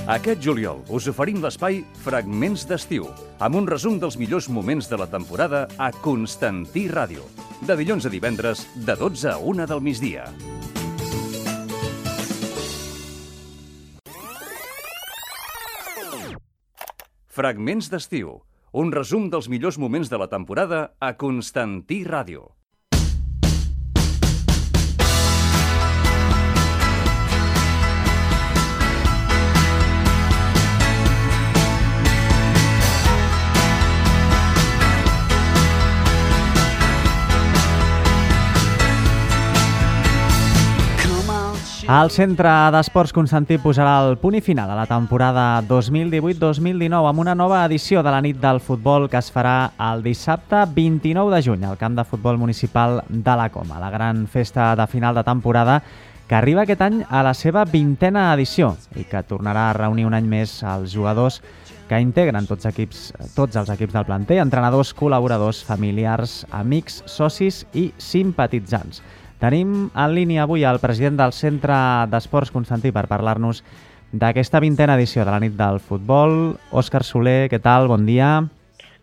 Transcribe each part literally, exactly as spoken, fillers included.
Aquest juliol us oferim l'espai Fragments d'estiu, amb un resum dels millors moments de la temporada a Constantí Ràdio. De dilluns a divendres, de dotze a una del migdia. Fragments d'estiu, un resum dels millors moments de la temporada a Constantí Ràdio. El Centre d'Esports Constantí posarà el punt i final a la temporada dos mil divuit dos mil dinou amb una nova edició de la nit del futbol que es farà el dissabte vint-i-nou de juny al camp de futbol municipal de la Coma. La gran festa de final de temporada que arriba aquest any a la seva vintena edició i que tornarà a reunir un any més els jugadors que integren tots, equips, tots els equips del planter, entrenadors, col·laboradors, familiars, amics, socis i simpatitzants. Tenim en línia avui el president del Centre d'Esports Constantí per parlar-nos d'aquesta vintena edició de la nit del futbol. Òscar Soler, què tal? Bon dia.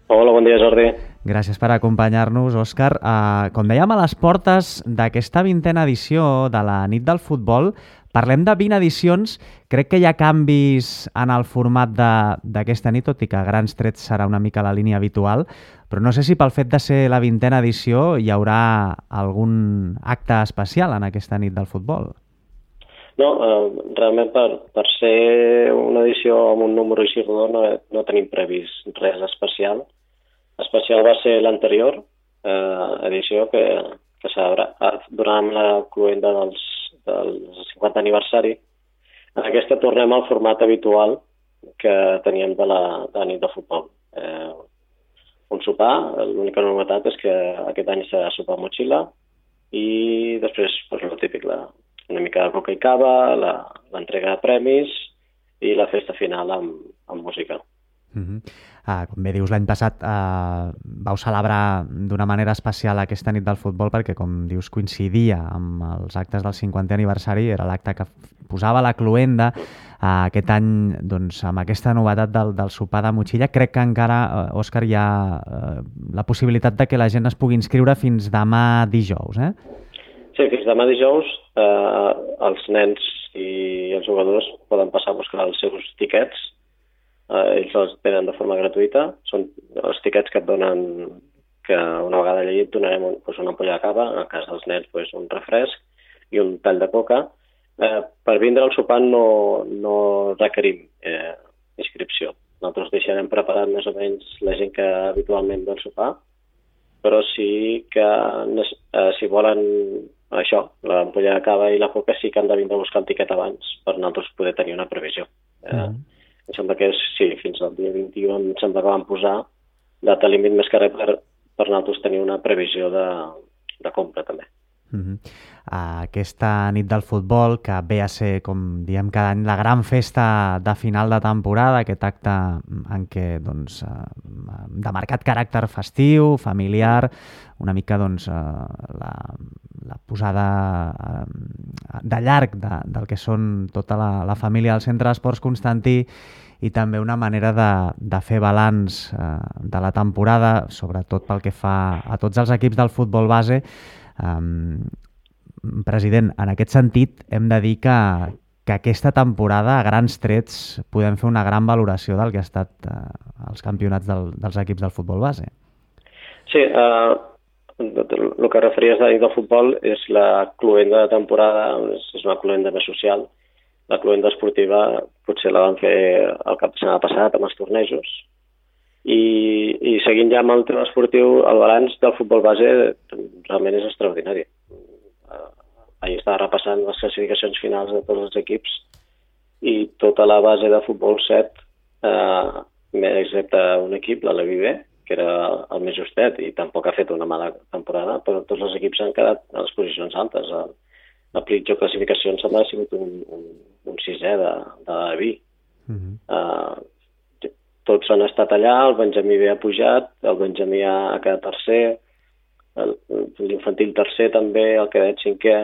Hola, bon dia, Jordi. Gràcies per acompanyar-nos, Òscar. Uh, com dèiem, a les portes d'aquesta vintena edició de la nit del futbol, parlem de vint edicions. Crec que hi ha canvis en el format d'aquesta nit, tot i que a grans trets serà una mica la línia habitual, però no sé si pel fet de ser la vintena edició hi haurà algun acte especial en aquesta nit del futbol. No, eh, realment per, per ser una edició amb un número així rodó no, no tenim previst res especial. Especial va ser l'anterior eh, edició que, que s'haurà durant la cloenda dels, del cinquanta aniversari. En aquesta tornem al format habitual que teníem de la, de la nit de futbol. Eh, un sopar, l'única novetat és que aquest any serà sopar motxilla i després pues, el típic, la, una mica de coca i cava, l'entrega de premis i la festa final amb, amb música. Uh-huh. Uh, com bé dius, l'any passat uh, vau celebrar d'una manera especial aquesta nit del futbol perquè, com dius, coincidia amb els actes del cinquantè aniversari, era l'acte que posava la cloenda. Uh, aquest any, doncs, amb aquesta novetat del, del sopar de motxilla, crec que encara, uh, Òscar, hi ha uh, la possibilitat de que la gent es pugui inscriure fins demà dijous, eh? Sí, fins demà dijous eh, els nens i els jugadors poden passar a buscar els seus tiquets. Eh, ells els tenen de forma gratuïta. Són els tiquets que et donen, que una vegada allà et donarem un, doncs una ampolla de cava, en el cas dels nens doncs un refresc i un tall de coca. Eh, per vindre al sopar no, no requerim eh, inscripció. Nosaltres deixarem preparat més o menys la gent que habitualment ve al sopar, però sí que eh, si volen això, l'ampolla de cava i la coca sí que han de vindre a buscar el tiquet abans per nosaltres poder tenir una previsió. Eh, mm. Em sembla que és, sí, fins al dia vint-i-u em sembla que vam posar data límit més que res per, per nosaltres tenir una previsió de, de compra també. Mm-hmm. Aquesta nit del futbol que ve a ser, com diem cada any, la gran festa de final de temporada, aquest acte en què doncs, de marcat caràcter festiu, familiar, una mica doncs, la, la posada de llarg de, del que són tota la, la família del Centre d'Esports Constantí i també una manera de, de fer balanç eh, de la temporada, sobretot pel que fa a tots els equips del futbol base. Um, President, en aquest sentit hem de dir que, que aquesta temporada a grans trets podem fer una gran valoració del que ha estat eh, els campionats del, dels equips del futbol base. Sí, eh, el que referies a la nit del futbol és la cloenda de temporada, és una cloenda més social. La cloenda esportiva potser la van fer el cap de setmana passat amb els tornejos. I, i seguint ja amb el tema esportiu, el balanç del futbol base realment és extraordinari. Ahir estava repassant les classificacions finals de tots els equips i tota la base de futbol set, eh, excepte un equip, la Levi B, que era el més justet i tampoc ha fet una mala temporada, però tots els equips han quedat a les posicions altes. El, el pitjor classificació em sembla ha sigut un, un, un sisè de, de la Levi. Mm-hmm. eh, tots han estat allà, el Benjamí B ha pujat, el Benjamí ha quedat tercer, l'infantil tercer també, el cadet cinquè.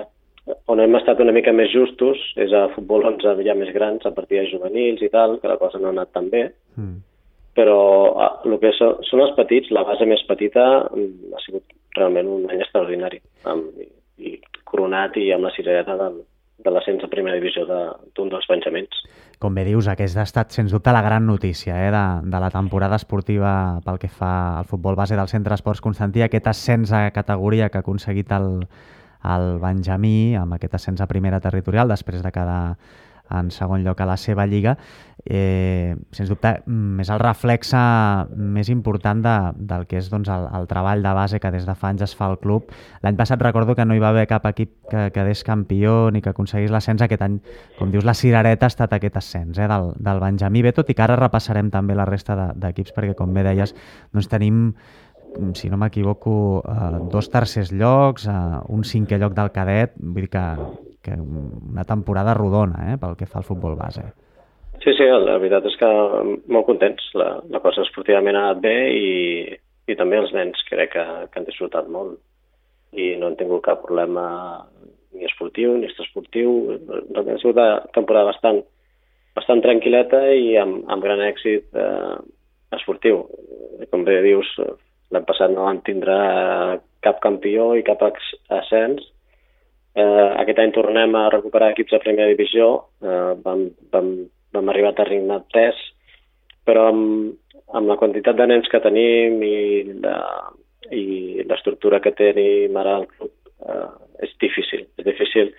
on hem estat una mica més justos és a futbol onze ja més grans, a partir de juvenils i tal, que la cosa no ha anat tan bé. Mm. Però el que són, són els petits, la base més petita ha sigut realment un any extraordinari, amb, i coronat i amb la cirereta del, de l'ascens a primera divisió d'un de, dels penjaments. Com bé dius, aquesta ha estat, sens dubte, la gran notícia eh, de, de la temporada esportiva pel que fa al futbol base del Centre Esports Constantí, aquest ascens a categoria que ha aconseguit el, el Benjamí, amb aquest ascens a primera territorial, després de quedar en segon lloc a la seva lliga, eh, sens dubte és el reflexe més important de, del que és doncs, el, el treball de base que des de fa anys es fa al club. L'any passat recordo que no hi va haver cap equip que quedés campió ni que aconseguís l'ascens. Aquest any, com dius, la cirereta ha estat aquest ascens eh, del, del Benjamí. Bé, tot i que ara repassarem també la resta de, d'equips, perquè com bé deies, doncs tenim, si no m'equivoco, eh, dos tercers llocs, eh, un cinquè lloc del cadet, vull dir que que una temporada rodona eh, pel que fa al futbol base. Sí, sí, la veritat és que molt contents. La, la cosa esportivament ha anat bé i, i també els nens crec que, que han disfrutat molt i no han tingut cap problema ni esportiu ni extraesportiu. Ha sigut una temporada bastant, bastant tranquil·leta i amb, amb gran èxit eh, esportiu. Com bé dius, l'any passat no van tindre cap campió i cap ascens. Eh, aquest any tornem a recuperar equips de primera divisió, eh, vam, vam, vam arribar a Terrigne tres, però amb, amb la quantitat de nens que tenim i la, i l'estructura que tenim ara al club eh, és difícil. És difícil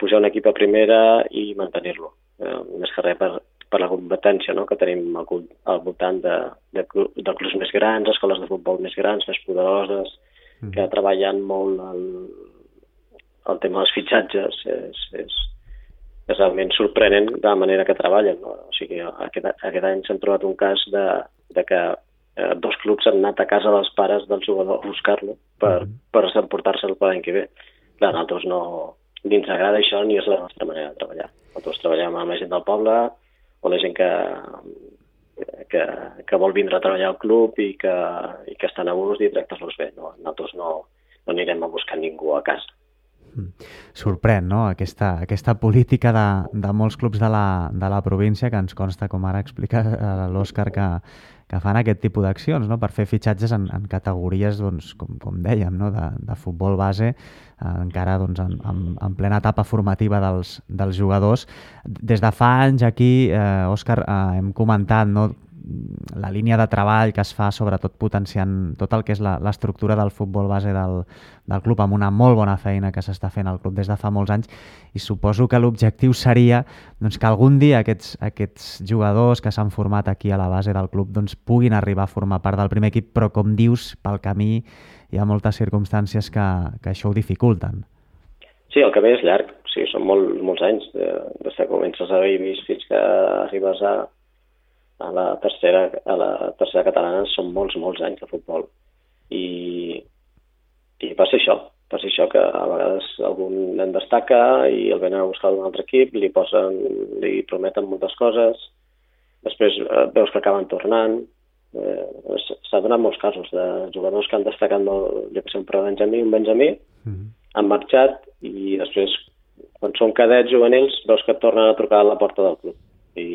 pujar un equip a primera i mantenir-lo. Eh, més que res per, per la competència no? que tenim al, al voltant de, de, de clubs més grans, escoles de futbol més grans, més poderoses, mm. que treballen molt el el tema dels fitxatges és, és, és realment sorprenent de la manera que treballen. No? O sigui, aquest, aquest any s'han trobat un cas de, de que eh, dos clubs han anat a casa dels pares del jugador a buscar-lo per, mm. per emportar-se'l per l'any que ve. Clar, nosaltres no, ni ens agrada això ni és la nostra manera de treballar. Nosaltres treballem amb la gent del poble o la gent que, que, que vol vindre a treballar al club i que, i que estan a gust i tractar-los bé. No? Nosaltres no, no anirem a buscar ningú a casa. Sorprèn, no?, aquesta, aquesta política de, de molts clubs de la, de la província, que ens consta, com ara explica l'Òscar, que, que fan aquest tipus d'accions, no?, per fer fitxatges en, en categories, doncs, com, com dèiem, no?, de, de futbol base, eh, encara doncs, en, en, en plena etapa formativa dels, dels jugadors. Des de fa anys aquí, eh, Òscar, eh, hem comentat, no?, la línia de treball que es fa, sobretot potenciant tot el que és l'estructura del futbol base del, del club, amb una molt bona feina que s'està fent al club des de fa molts anys, i suposo que l'objectiu seria doncs, que algun dia aquests, aquests jugadors que s'han format aquí a la base del club doncs, puguin arribar a formar part del primer equip, però com dius, pel camí hi ha moltes circumstàncies que, que això ho dificulten. Sí, el camí és llarg, o sigui, són molt, molts anys, des que comences a babies fins que arribes a a la tercera, a la tercera catalana són molts, molts anys de futbol. I, i passa això, passa això que a vegades algun nen destaca i el venen a buscar d'un altre equip, li posen, li prometen moltes coses, després eh, veus que acaben tornant. Eh, S'ha donat molts casos de jugadors que han destacat molt, jo que sé, un pre-benjamí, un benjamí, mm-hmm. han marxat i després, quan són cadets juvenils, veus que et tornen a trucar a la porta del club. I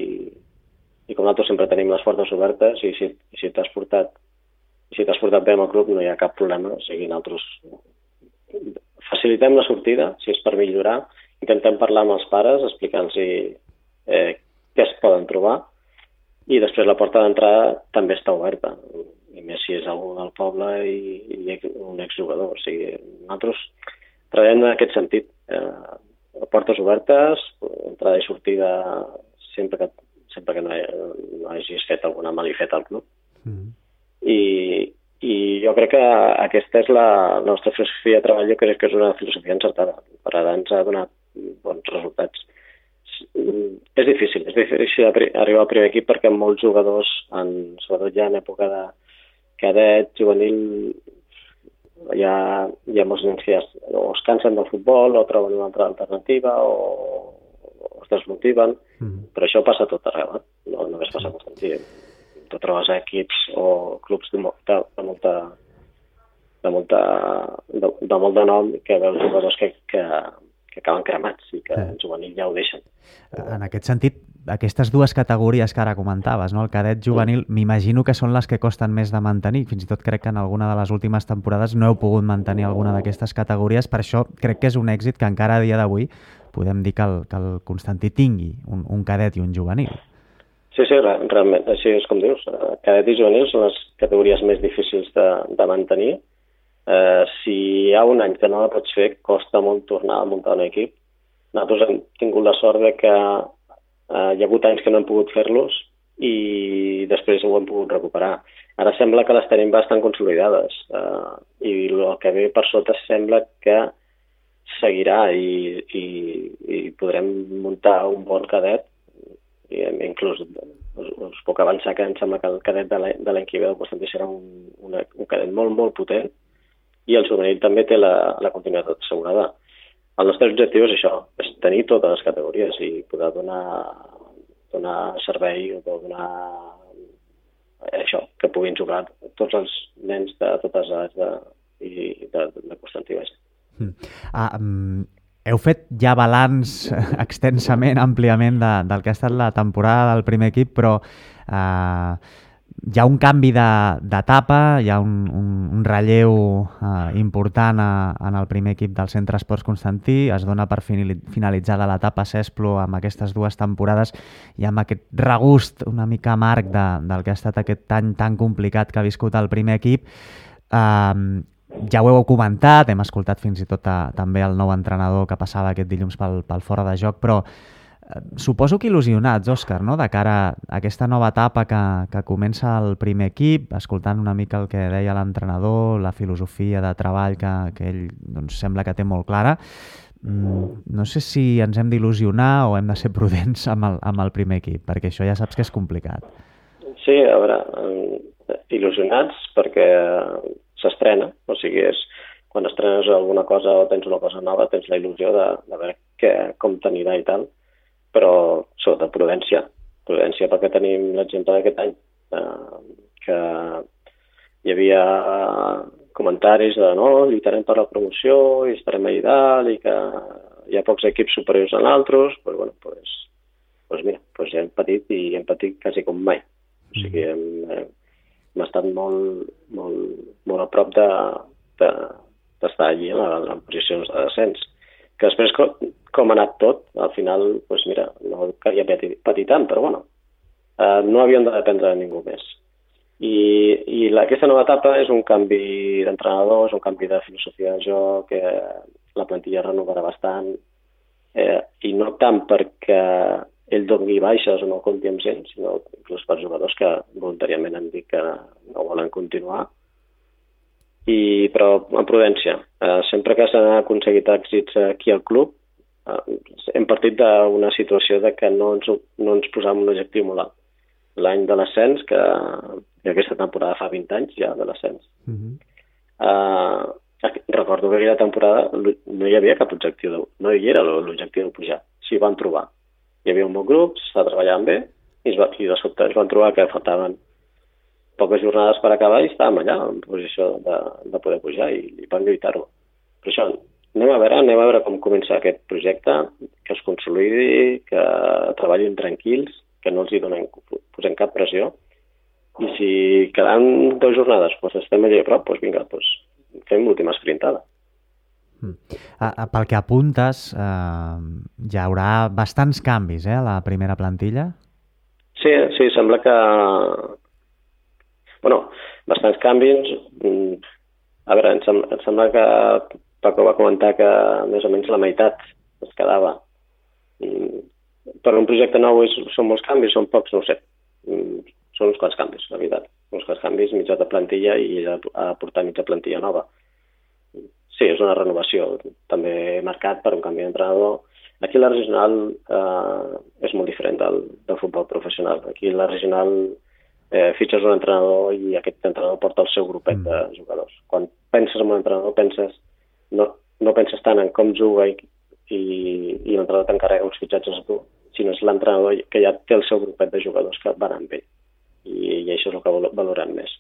I com nosaltres sempre tenim les portes obertes i si, si t'has portat si t'has portat bé amb el club no hi ha cap problema. O sigui, nosaltres facilitem la sortida, si és per millorar, intentem parlar amb els pares, explicant-los eh, què es poden trobar i després la porta d'entrada també està oberta, i més si és algú del poble i, i un exjugador. O sigui, nosaltres treballem en aquest sentit. Eh, portes obertes, entrada i sortida sempre que sempre que no, no hagis fet alguna malifeta al club. Mm. I, I jo crec que aquesta és la nostra filosofia de treball, jo crec que és una filosofia encertada. Per ara ens ha donat bons resultats. És difícil, és difícil arribar al primer equip perquè molts jugadors, en, sobretot ja en època de cadet, juvenil, hi ha, hi ha molts nens que ja o es cansen del futbol o troben una altra alternativa o es desmotiven, mm. però això passa tot arreu, eh? No només passa a Constantí. Tu trobes equips o clubs de, de, de molta de molta de, de molt de nom que veus jugadors que, que, que acaben cremats i que en juvenil ja ho deixen. En aquest sentit, aquestes dues categories que ara comentaves, no? El cadet juvenil, mm. m'imagino que són les que costen més de mantenir. Fins i tot crec que en alguna de les últimes temporades no heu pogut mantenir alguna d'aquestes categories. Per això crec que és un èxit que encara a dia d'avui podem dir que el, que el Constantí tingui un, un cadet i un juvenil. Sí, sí, realment, així és com dius. Cadet i juvenil són les categories més difícils de, de mantenir. Eh, si hi ha un any que no la pots fer, costa molt tornar a muntar un equip. Nosaltres hem tingut la sort de que eh, hi ha hagut anys que no hem pogut fer-los i després ho hem pogut recuperar. Ara sembla que les tenim bastant consolidades eh, i el que ve per sota sembla que seguirà i, i, i podrem muntar un bon cadet i inclús us, us puc avançar que em sembla que el cadet de l'any que ve del Constantí serà un, un, un cadet molt, molt potent i el juvenil també té la, la continuïtat assegurada. El nostre objectiu és això, és tenir totes les categories i poder donar, donar servei o donar això, que puguin jugar tots els nens de totes les edats de, i de, de Constantí. Mm. Ah, um, heu fet ja balanç extensament, àmpliament de, del que ha estat la temporada del primer equip, però uh, hi ha un canvi d'etapa, hi ha un, un, un relleu uh, important a, en el primer equip del Centre Esports Constantí, es dona per finalitzada l'etapa Cesplo amb aquestes dues temporades i amb aquest regust una mica amarg de, del que ha estat aquest any tan complicat que ha viscut el primer equip. Uh, ja ho heu comentat, hem escoltat fins i tot a, també el nou entrenador que passava aquest dilluns pel, pel fora de joc, però suposo que il·lusionats, Òscar, no? De cara a aquesta nova etapa que, que comença el primer equip, escoltant una mica el que deia l'entrenador, la filosofia de treball que, que ell doncs, sembla que té molt clara. Mm, no sé si ens hem d'il·lusionar o hem de ser prudents amb el, amb el primer equip, perquè això ja saps que és complicat. Sí, a veure, il·lusionats perquè s'estrena, o sigui, és, quan estrenes alguna cosa o tens una cosa nova, tens la il·lusió de, de veure què, com t'anirà i tal, però sota prudència, prudència perquè tenim l'exemple d'aquest any, eh, que hi havia comentaris de no, lluitarem per la promoció i estarem allà dalt i que hi ha pocs equips superiors a altres, doncs, bueno, pues, pues mira, pues hem patit i hem patit quasi com mai. O sigui, hem, hem estat molt, molt, molt a prop de, de, d'estar allí en, la, en posicions de descens. Que després, com, com ha anat tot, al final, doncs mira, no calia patir, patir tant, però bueno, eh, no havíem de dependre de ningú més. I, i la, aquesta nova etapa és un canvi d'entrenador, és un canvi de filosofia de joc, que la plantilla renovarà bastant, eh, i no tant perquè ell doni baixes o no compti amb gent, sinó inclús per jugadors que voluntàriament han dit que no volen continuar. I, però amb prudència. Eh, sempre que s'han aconseguit èxits aquí al club, eh, hem partit d'una situació de que no ens, no ens posàvem un objectiu molt alt. L'any de l'ascens, que, que aquesta temporada fa vint anys ja de l'ascens. Mm-hmm. eh, recordo que aquella temporada no hi havia cap objectiu, de, no hi era l'objectiu de pujar. S'hi van trobar. Hi havia un bon grup, s'estava treballant bé, i, es va, i de sobte es van trobar que faltaven poques jornades per acabar i estàvem allà en posició de, de poder pujar i, i vam lluitar-ho. Per això, anem a veure, anem a veure com comença aquest projecte, que es consolidi, que treballin tranquils, que no els hi donem, posem cap pressió, i si quedant dues jornades doncs estem allà a prop, doncs vinga, doncs fem l'última esprintada. Mm. Pel que apuntes, eh, hi haurà bastants canvis eh, a la primera plantilla? Sí, sí, sembla que Bueno, bastants canvis. A veure, em sembla, em sembla que Paco va comentar que més o menys la meitat es quedava. Per un projecte nou és, són molts canvis, són pocs, no ho sé. Són uns quants canvis, la veritat. Uns quants canvis, mitja de plantilla i a portar mitja plantilla nova. Sí, és una renovació, també marcat per un canvi d'entrenador. Aquí la regional eh, és molt diferent del, del futbol professional. Aquí la regional Eh, fitxes un entrenador i aquest entrenador porta el seu grupet mm. de jugadors. Quan penses en un entrenador, penses no, no penses tant en com juga i, i, i l'entrenador t'encarrega uns fitxatges a tu, sinó és l'entrenador que ja té el seu grupet de jugadors que van amb ell. I, i això és el que valorem més.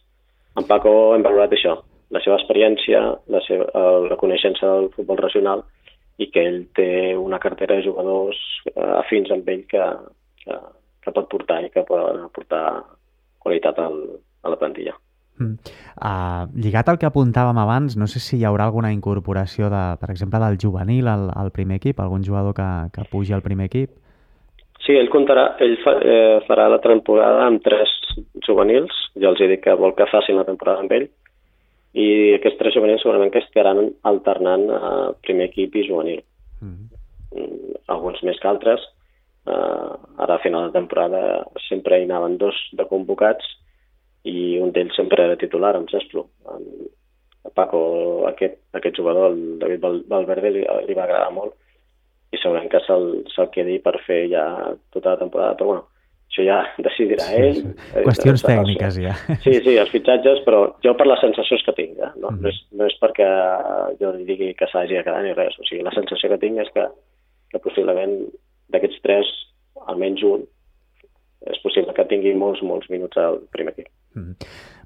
En Paco hem valorat això, la seva experiència, la, seva, la coneixença del futbol regional i que ell té una cartera de jugadors afins amb ell que, que, que pot portar i que poden aportar qualitat al, a la plantilla. Mm. Uh, lligat al que apuntàvem abans, no sé si hi haurà alguna incorporació, de, per exemple, del juvenil al, al primer equip, algun jugador que, que pugi al primer equip? Sí, ell, comptarà, ell fa, eh, farà la temporada amb tres juvenils, ja els he dit que vol que facin la temporada amb ell, i aquests tres juvenils segurament que estaran alternant a primer equip i juvenil. Mm-hmm. Alguns més que altres. Uh, ara a final de temporada sempre hi anaven dos de convocats i un d'ells sempre era titular, em Cesplo. A Paco, aquest, aquest jugador, el David Val Valverde, li, li va agradar molt i segurament que se'l se quedi per fer ja tota la temporada, però bueno, això ja decidirà ell. Sí, sí. Qüestions tècniques, ja. Sí, sí, els fitxatges, però jo per les sensacions que tinc, eh? no, mm. no, és, no és perquè jo li digui que s'hagi de quedar ni res, o sigui, la sensació que tinc és que, que possiblement d'aquests tres, almenys un, és possible que tingui molts, molts minuts al primer equip. Mm.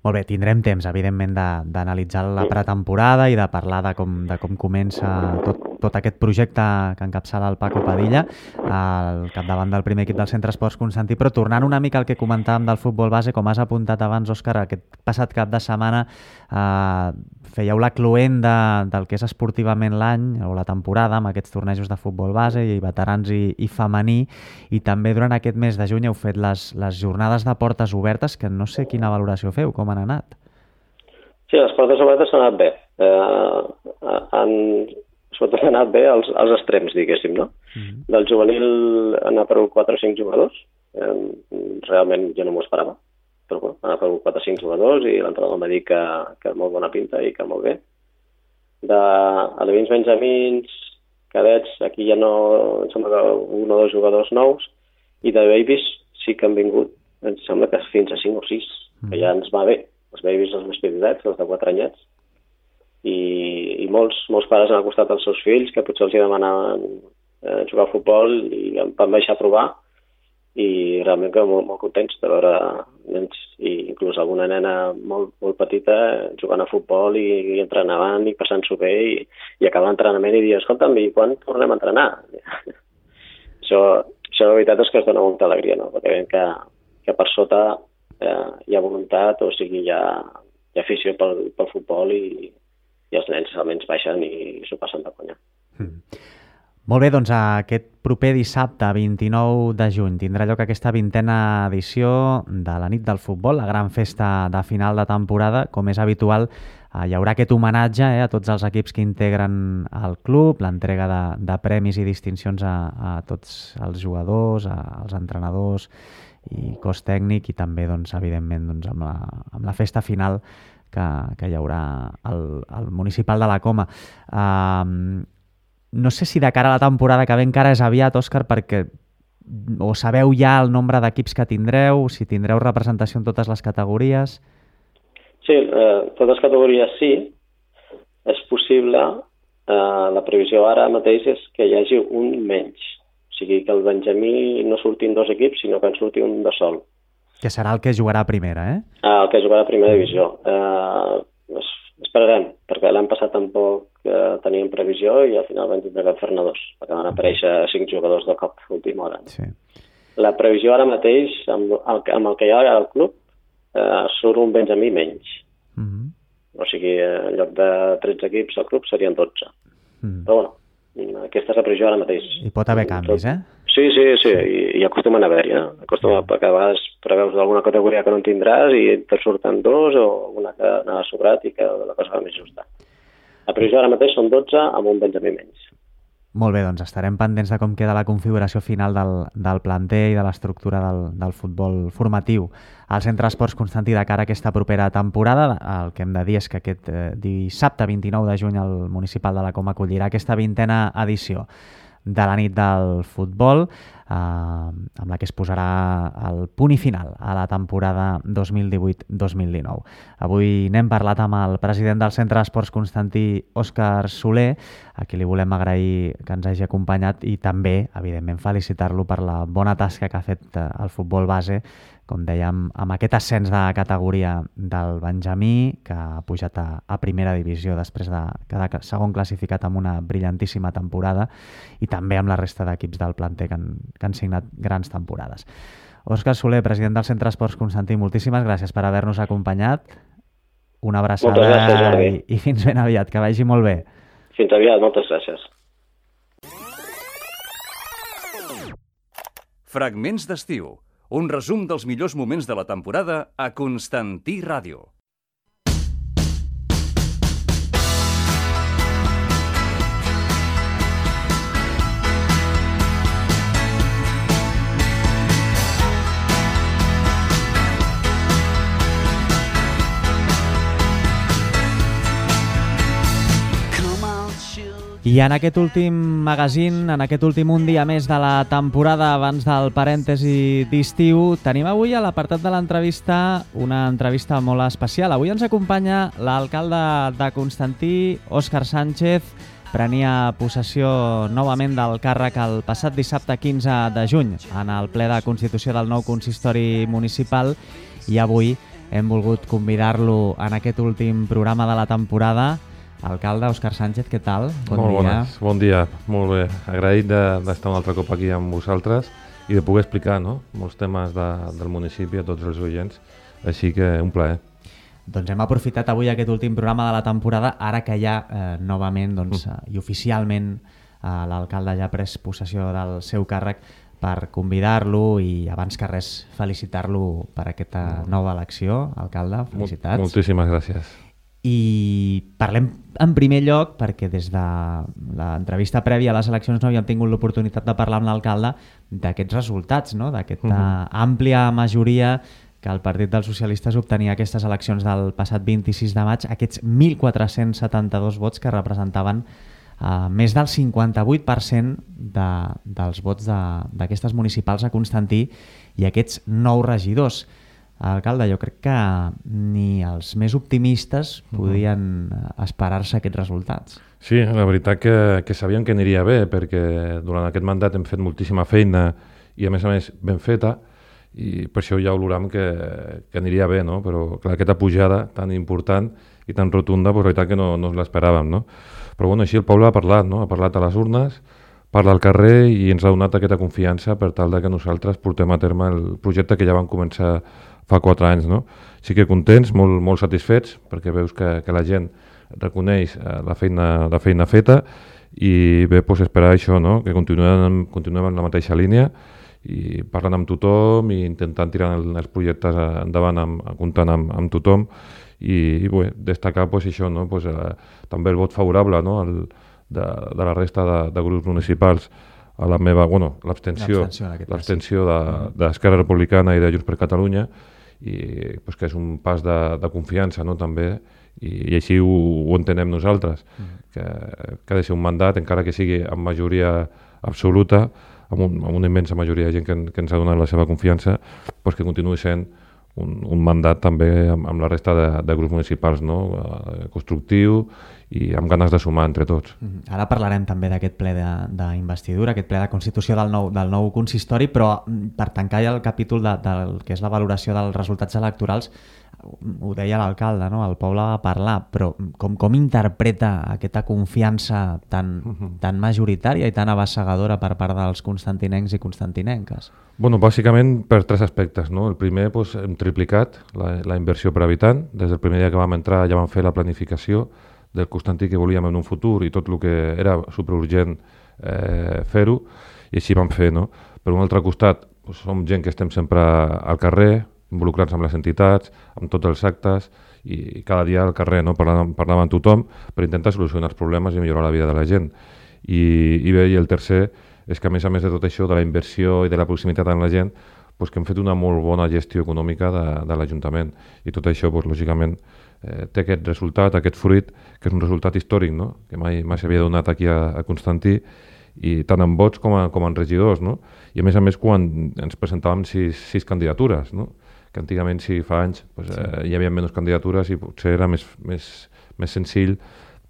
Molt bé, tindrem temps, evidentment, d'analitzar la pretemporada i de parlar de com, de com comença tot, tot aquest projecte que encapçala el Paco Padilla al capdavant del primer equip del Centre Esports Constantí, però tornant una mica al que comentàvem del futbol base, com has apuntat abans, Òscar, aquest passat cap de setmana eh, fèieu la cloent de, del que és esportivament l'any o la temporada amb aquests tornejos de futbol base i veterans i, i femení, i també durant aquest mes de juny heu fet les, les jornades de portes obertes, que no sé quina valoració feu, com han anat? Sí, les portes obertes han anat bé. Eh, han, sobretot han anat bé als, als extrems, diguéssim, no? Mm-hmm. Del juvenil han aparegut quatre o cinc jugadors. Eh, realment jo no m'ho esperava, però bueno, han aparegut quatre o cinc jugadors i l'entrenador m'ha dit que, que molt bona pinta i que molt bé. De alevins benjamins, cadets, aquí ja no, em sembla que un o dos jugadors nous, i de babies sí que han vingut, em sembla que fins a cinc o sis, que ja ens va bé. Els babies, els més petitets, els de quatre anyets, i, i molts, molts pares han acostat als seus fills que potser els hi demanaven eh, jugar a futbol i em van deixar provar i realment que molt, molt contents de veure nens, i inclús alguna nena molt, molt petita jugant a futbol i, i entrenant i passant-s'ho bé i, i acabar l'entrenament i dir, escolta'm, i quan tornem a entrenar? això, això la veritat és que es dona molta alegria, no? Perquè veiem que, que per sota eh, hi ha voluntat, o sigui, hi ha, hi ha afició pel, pel futbol i, i els nens almenys baixen i s'ho passen de conya. Mm. Molt bé, doncs aquest proper dissabte, vint-i-nou de juny, tindrà lloc aquesta vintena edició de la nit del futbol, la gran festa de final de temporada. Com és habitual, eh, hi haurà aquest homenatge eh, a tots els equips que integren el club, l'entrega de, de premis i distincions a, a tots els jugadors, a, als entrenadors i cos tècnic, i també, doncs, evidentment, doncs, amb, la, amb la festa final que, que hi haurà al, al municipal de la Coma. Uh, no sé si de cara a la temporada que ve encara és aviat, Òscar, perquè o sabeu ja el nombre d'equips que tindreu, si tindreu representació en totes les categories? Sí, eh, totes les categories sí. És possible. Eh, la previsió ara mateix és que hi hagi un menys. O sigui, que el Benjamí no surtin dos equips, sinó que en surti un de sol. Que serà el que jugarà a primera, eh? Ah, el que jugarà a primera divisió. Eh, esperarem, perquè l'any passat tampoc eh, teníem previsió i al final vam tindre que fer-ne dos, perquè van aparèixer cinc jugadors de cop a última hora. Sí. La previsió ara mateix, amb el, amb el que hi ha al club, eh, surt un Benjamí menys. Mm-hmm. O sigui, en lloc de tretze equips al club serien dotze. Mm. Però bueno, aquesta és la previsió ara mateix. Hi pot haver canvis, eh? Sí, sí, sí, i, i acostumen a haver-hi, eh? Acostuma, perquè a vegades preveus alguna categoria que no en tindràs i te surten dos o una que anava sobrat i que la cosa va més justa. La previsió ara mateix són dotze amb un Benjamí menys. Molt bé, doncs estarem pendents de com queda la configuració final del, del planter i de l'estructura del, del futbol formatiu al Centre Esports Constantí de cara a aquesta propera temporada. El que hem de dir és que aquest eh, dissabte vint-i-nou de juny el municipal de la Coma acollirà aquesta vintena edició de la nit del futbol. eh, amb la que es posarà el punt i final a la temporada dos mil divuit dos mil dinou. Avui n'hem parlat amb el president del Centre d'Esports Constantí, Òscar Soler, a qui li volem agrair que ens hagi acompanyat i també, evidentment, felicitar-lo per la bona tasca que ha fet el futbol base, com dèiem, amb aquest ascens de categoria del Benjamí, que ha pujat a, a primera divisió després de quedar segon classificat amb una brillantíssima temporada, i també amb la resta d'equips del planter que han, que han signat grans temporades. Òscar Soler, president del Centre d'Esports Constantí, moltíssimes gràcies per haver-nos acompanyat. Una abraçada gràcies, i, i fins ben aviat, que vagi molt bé. Fins aviat, moltes gràcies. Fragments d'estiu. Un resum dels millors moments de la temporada a Constantí Ràdio. I en aquest últim magazín, en aquest últim un dia més de la temporada abans del parèntesi d'estiu, tenim avui a l'apartat de l'entrevista una entrevista molt especial. Avui ens acompanya l'alcalde de Constantí, Òscar Sánchez. Prenia possessió novament del càrrec el passat dissabte quinze de juny en el ple de constitució del nou consistori municipal, i avui hem volgut convidar-lo en aquest últim programa de la temporada. Alcalde, Òscar Sánchez, què tal? Bon Molt dia. Bones. Bon dia, molt bé. Agraït d'estar un altre cop aquí amb vosaltres i de poder explicar, no?, molts temes de, del municipi a tots els oients, així que un plaer. Doncs hem aprofitat avui aquest últim programa de la temporada, ara que ja eh, novament doncs, mm. i oficialment eh, l'alcalde ja ha pres possessió del seu càrrec, per convidar-lo i, abans que res, felicitar-lo per aquesta nova elecció. Alcalde, felicitats. Moltíssimes gràcies. I parlem en primer lloc, perquè des de l'entrevista prèvia a les eleccions no havíem tingut l'oportunitat de parlar amb l'alcalde d'aquests resultats, no?, d'aquesta uh-huh. àmplia majoria que el Partit dels Socialistes obtenia aquestes eleccions del passat vint-i-sis de maig, aquests mil quatre-cents setanta-dos vots que representaven uh, més del cinquanta-vuit per cent de, dels vots d'aquestes municipals a Constantí, i aquests nou regidors. Alcalde, jo crec que ni els més optimistes podien esperar-se aquests resultats. Sí, la veritat que, que sabíem que aniria bé, perquè durant aquest mandat hem fet moltíssima feina i, a més a més, ben feta, i per això ja olorem que, que aniria bé, no? Però clar, aquesta pujada tan important i tan rotunda, pues, la veritat que no, no ens l'esperàvem, no? Però bueno, així el poble ha parlat, no? Ha parlat a les urnes, parla al carrer i ens ha donat aquesta confiança per tal de que nosaltres portem a terme el projecte que ja vam començar fa quatre anys, no? Sí que contents, molt, molt satisfets, perquè veus que, que la gent reconeix la feina, la feina feta, i bé, doncs esperar això, no?, que continuem, continuem en la mateixa línia i parlant amb tothom i intentant tirar els projectes endavant, amb, comptant amb, amb tothom, i, i bé, destacar doncs, això, no?, doncs, eh, també el vot favorable, no?, el, de, de la resta de, de grups municipals a la meva, bueno, l'abstenció l'abstenció d'Esquerra Republicana i de Junts per Catalunya, i pues, que és un pas de, de confiança, no?, també, i, i així ho, ho entenem nosaltres, mm. que, que ha de ser un mandat, encara que sigui amb majoria absoluta, amb, un, amb una immensa majoria de gent que, que ens ha donat la seva confiança, pues, que continuï sent un, un mandat també amb, amb la resta de, de grups municipals, no?, constructiu i amb ganes de sumar entre tots. Ara parlarem també d'aquest ple d'investidura, aquest ple de constitució del nou, del nou consistori, però per tancar ja el capítol de, del que és la valoració dels resultats electorals, ho deia l'alcalde, no?, el poble va parlar, però com, com interpreta aquesta confiança tan, uh-huh. tan majoritària i tan abassegadora per part dels constantinencs i constantinenques? Bueno, bàsicament per tres aspectes, no? El primer, doncs, hem triplicat la, la inversió per habitant. Des del primer dia que vam entrar ja vam fer la planificació del Constantí que volíem en un futur i tot el que era superurgent eh, fer-ho, i així vam fer, no? Per un altre costat, doncs, som gent que estem sempre al carrer, involucrats amb les entitats, amb tots els actes, i cada dia al carrer, no?, parlant, parlant amb tothom per intentar solucionar els problemes i millorar la vida de la gent. I, i bé, i el tercer és que, a més a més de tot això, de la inversió i de la proximitat amb la gent, doncs que hem fet una molt bona gestió econòmica de, de l'Ajuntament. I tot això, doncs, lògicament, eh, té aquest resultat, aquest fruit, que és un resultat històric, no?, que mai, mai s'havia donat aquí a, a Constantí, i tant en vots com, a, com en regidors, no? I a més a més quan ens presentàvem sis, sis candidatures, no? Que antigament, si fa anys, pues, sí. eh, hi havia menys candidatures i potser era més, més, més senzill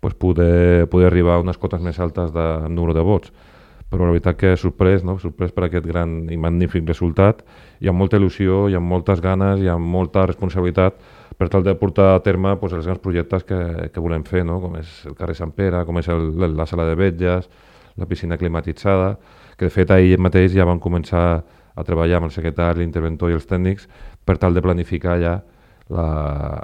pues, poder, poder arribar a unes cotes més altes de número de vots. Però la veritat que sorprès, no? Sorprès per aquest gran i magnífic resultat, hi ha molta il·lusió, hi ha moltes ganes, hi ha molta responsabilitat per tal de portar a terme pues, els grans projectes que, que volem fer, no? Com és el carrer Sant Pere, com és el, la sala de vetlles, la piscina climatitzada, que de fet ahir mateix ja van començar a treballar amb el secretari, l'interventor i els tècnics per tal de planificar ja la,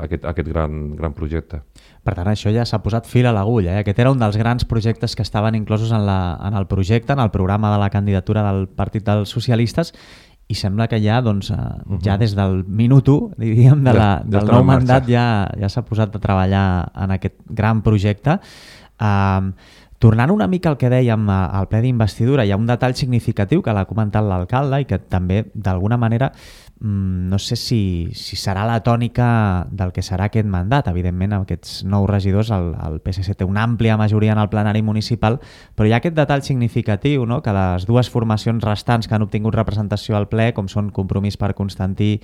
aquest, aquest gran, gran projecte. Per tant, això ja s'ha posat fil a l'agulla. Eh? Aquest era un dels grans projectes que estaven inclosos en, la, en el projecte, en el programa de la candidatura del Partit dels Socialistes, i sembla que ja, doncs, uh-huh. ja des del minut u, diríem, de la, ja, ja del nou mandat ja, ja s'ha posat a treballar en aquest gran projecte. Uh, Tornant una mica al que dèiem al ple d'investidura, hi ha un detall significatiu que l'ha comentat l'alcalde i que també, d'alguna manera, no sé si, si serà la tònica del que serà aquest mandat. Evidentment, amb aquests nous regidors, el, el P S C té una àmplia majoria en el plenari municipal, però hi ha aquest detall significatiu, no? Que les dues formacions restants que han obtingut representació al ple, com són Compromís per Constantí,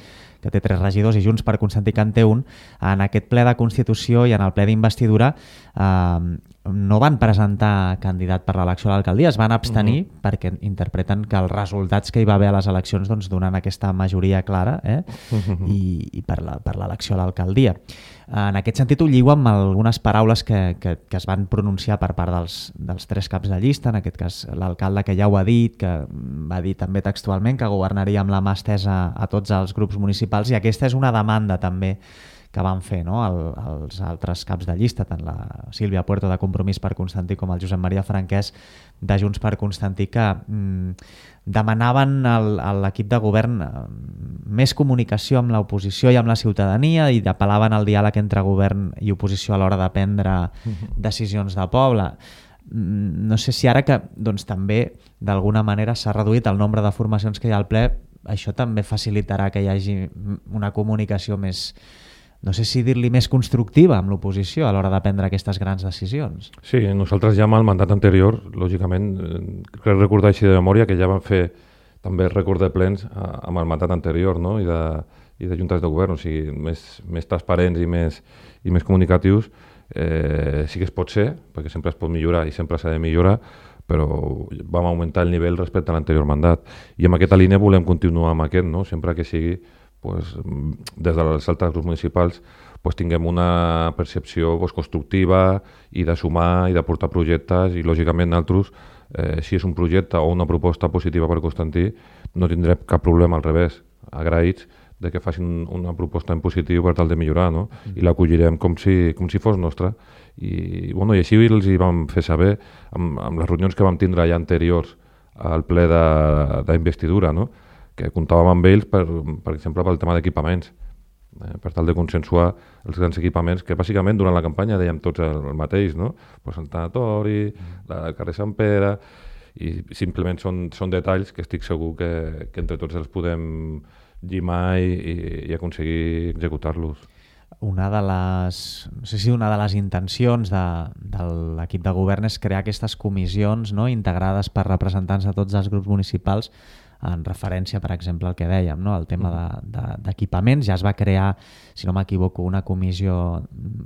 que té tres regidors, i Junts per Constantí, que en té un, en aquest ple de Constitució i en el ple d'investidura eh, no van presentar candidat per l'elecció a l'alcaldia, es van abstenir uh-huh. perquè interpreten que els resultats que hi va haver a les eleccions doncs, donen aquesta majoria clara eh? uh-huh. i, i per l'elecció a l'alcaldia. En aquest sentit ho lligo amb algunes paraules que, que, que es van pronunciar per part dels, dels tres caps de llista, en aquest cas l'alcalde que ja ho ha dit, que va dir també textualment que governaria amb la mà estesa a tots els grups municipals, i aquesta és una demanda també que van fer no? el, els altres caps de llista, tant la Sílvia Puerto de Compromís per Constantí com el Josep Maria Franquès de Junts per Constantí, que mm, demanaven al, a l'equip de govern més comunicació amb l'oposició i amb la ciutadania, i apel·laven al diàleg entre govern i oposició a l'hora de prendre uh-huh. decisions de poble. No sé si ara que doncs, també d'alguna manera s'ha reduït el nombre de formacions que hi ha al ple, això també facilitarà que hi hagi una comunicació més, no sé si dir-li més constructiva amb l'oposició a l'hora de prendre aquestes grans decisions. Sí, nosaltres ja amb el mandat anterior, lògicament, crec recordar així de memòria que ja vam fer també rècord de plens amb el mandat anterior, no? I, de, i de juntes de govern, o sigui, més, més transparents i més, i més comunicatius. Eh, sí que es pot ser, perquè sempre es pot millorar i sempre s'ha de millorar, però vam augmentar el nivell respecte a l'anterior mandat. I amb aquesta línia volem continuar amb aquest, no? Sempre que sigui pues, des dels altres grups municipals pues, tinguem una percepció pues, constructiva i de sumar i de portar projectes, i lògicament nosaltres, eh, si és un projecte o una proposta positiva per Constantí, no tindrem cap problema, al revés, agraïts de que facin una proposta en positiu per tal de millorar, no? I l'acollirem com si, com si fos nostra. I, bueno, i així els hi vam fer saber amb, amb les reunions que vam tindre ja anteriors al ple d'investidura, no? Que comptàvem amb ells, per, per exemple, pel tema d'equipaments, eh, per tal de consensuar els grans equipaments, que bàsicament durant la campanya dèiem tots el, el mateix, no? Pues el tanatori, mm. el carrer Sant Pere, i simplement són, són detalls que estic segur que, que entre tots els podem llimar i, i, i aconseguir executar-los. Una de les, no sé si una de les intencions de, de l'equip de govern és crear aquestes comissions, no? Integrades per representants de tots els grups municipals, en referència, per exemple, al que dèiem, no? El tema d'equipaments. De, de, ja es va crear, si no m'equivoco, una comissió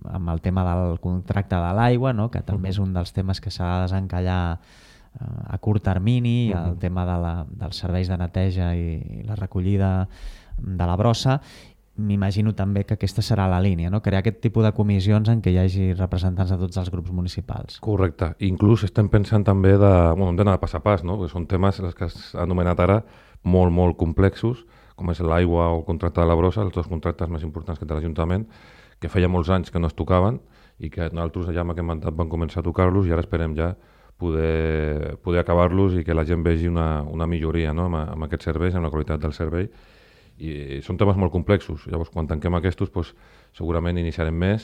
amb el tema del contracte de l'aigua, no? Que també uh-huh. és un dels temes que s'ha de desencallar uh, a curt termini, uh-huh. el tema de la, dels serveis de neteja i, i la recollida de la brossa. M'imagino també que aquesta serà la línia, no? Crear aquest tipus de comissions en què hi hagi representants de tots els grups municipals. Correcte. Inclús estem pensant també de, bueno, hem d'anar de pas a pas, no? Perquè són temes, els que has anomenat ara, molt, molt complexos, com és l'aigua o el contracte de la brossa, els dos contractes més importants que té l'Ajuntament, que feia molts anys que no es tocaven i que nosaltres ja amb aquest mandat vam començar a tocar-los, i ara esperem ja poder, poder acabar-los i que la gent vegi una, una milloria, no? amb, amb aquests serveis, amb la qualitat del servei. I són temes molt complexos. Llavors, quan tanquem aquests, pues, segurament iniciarem més,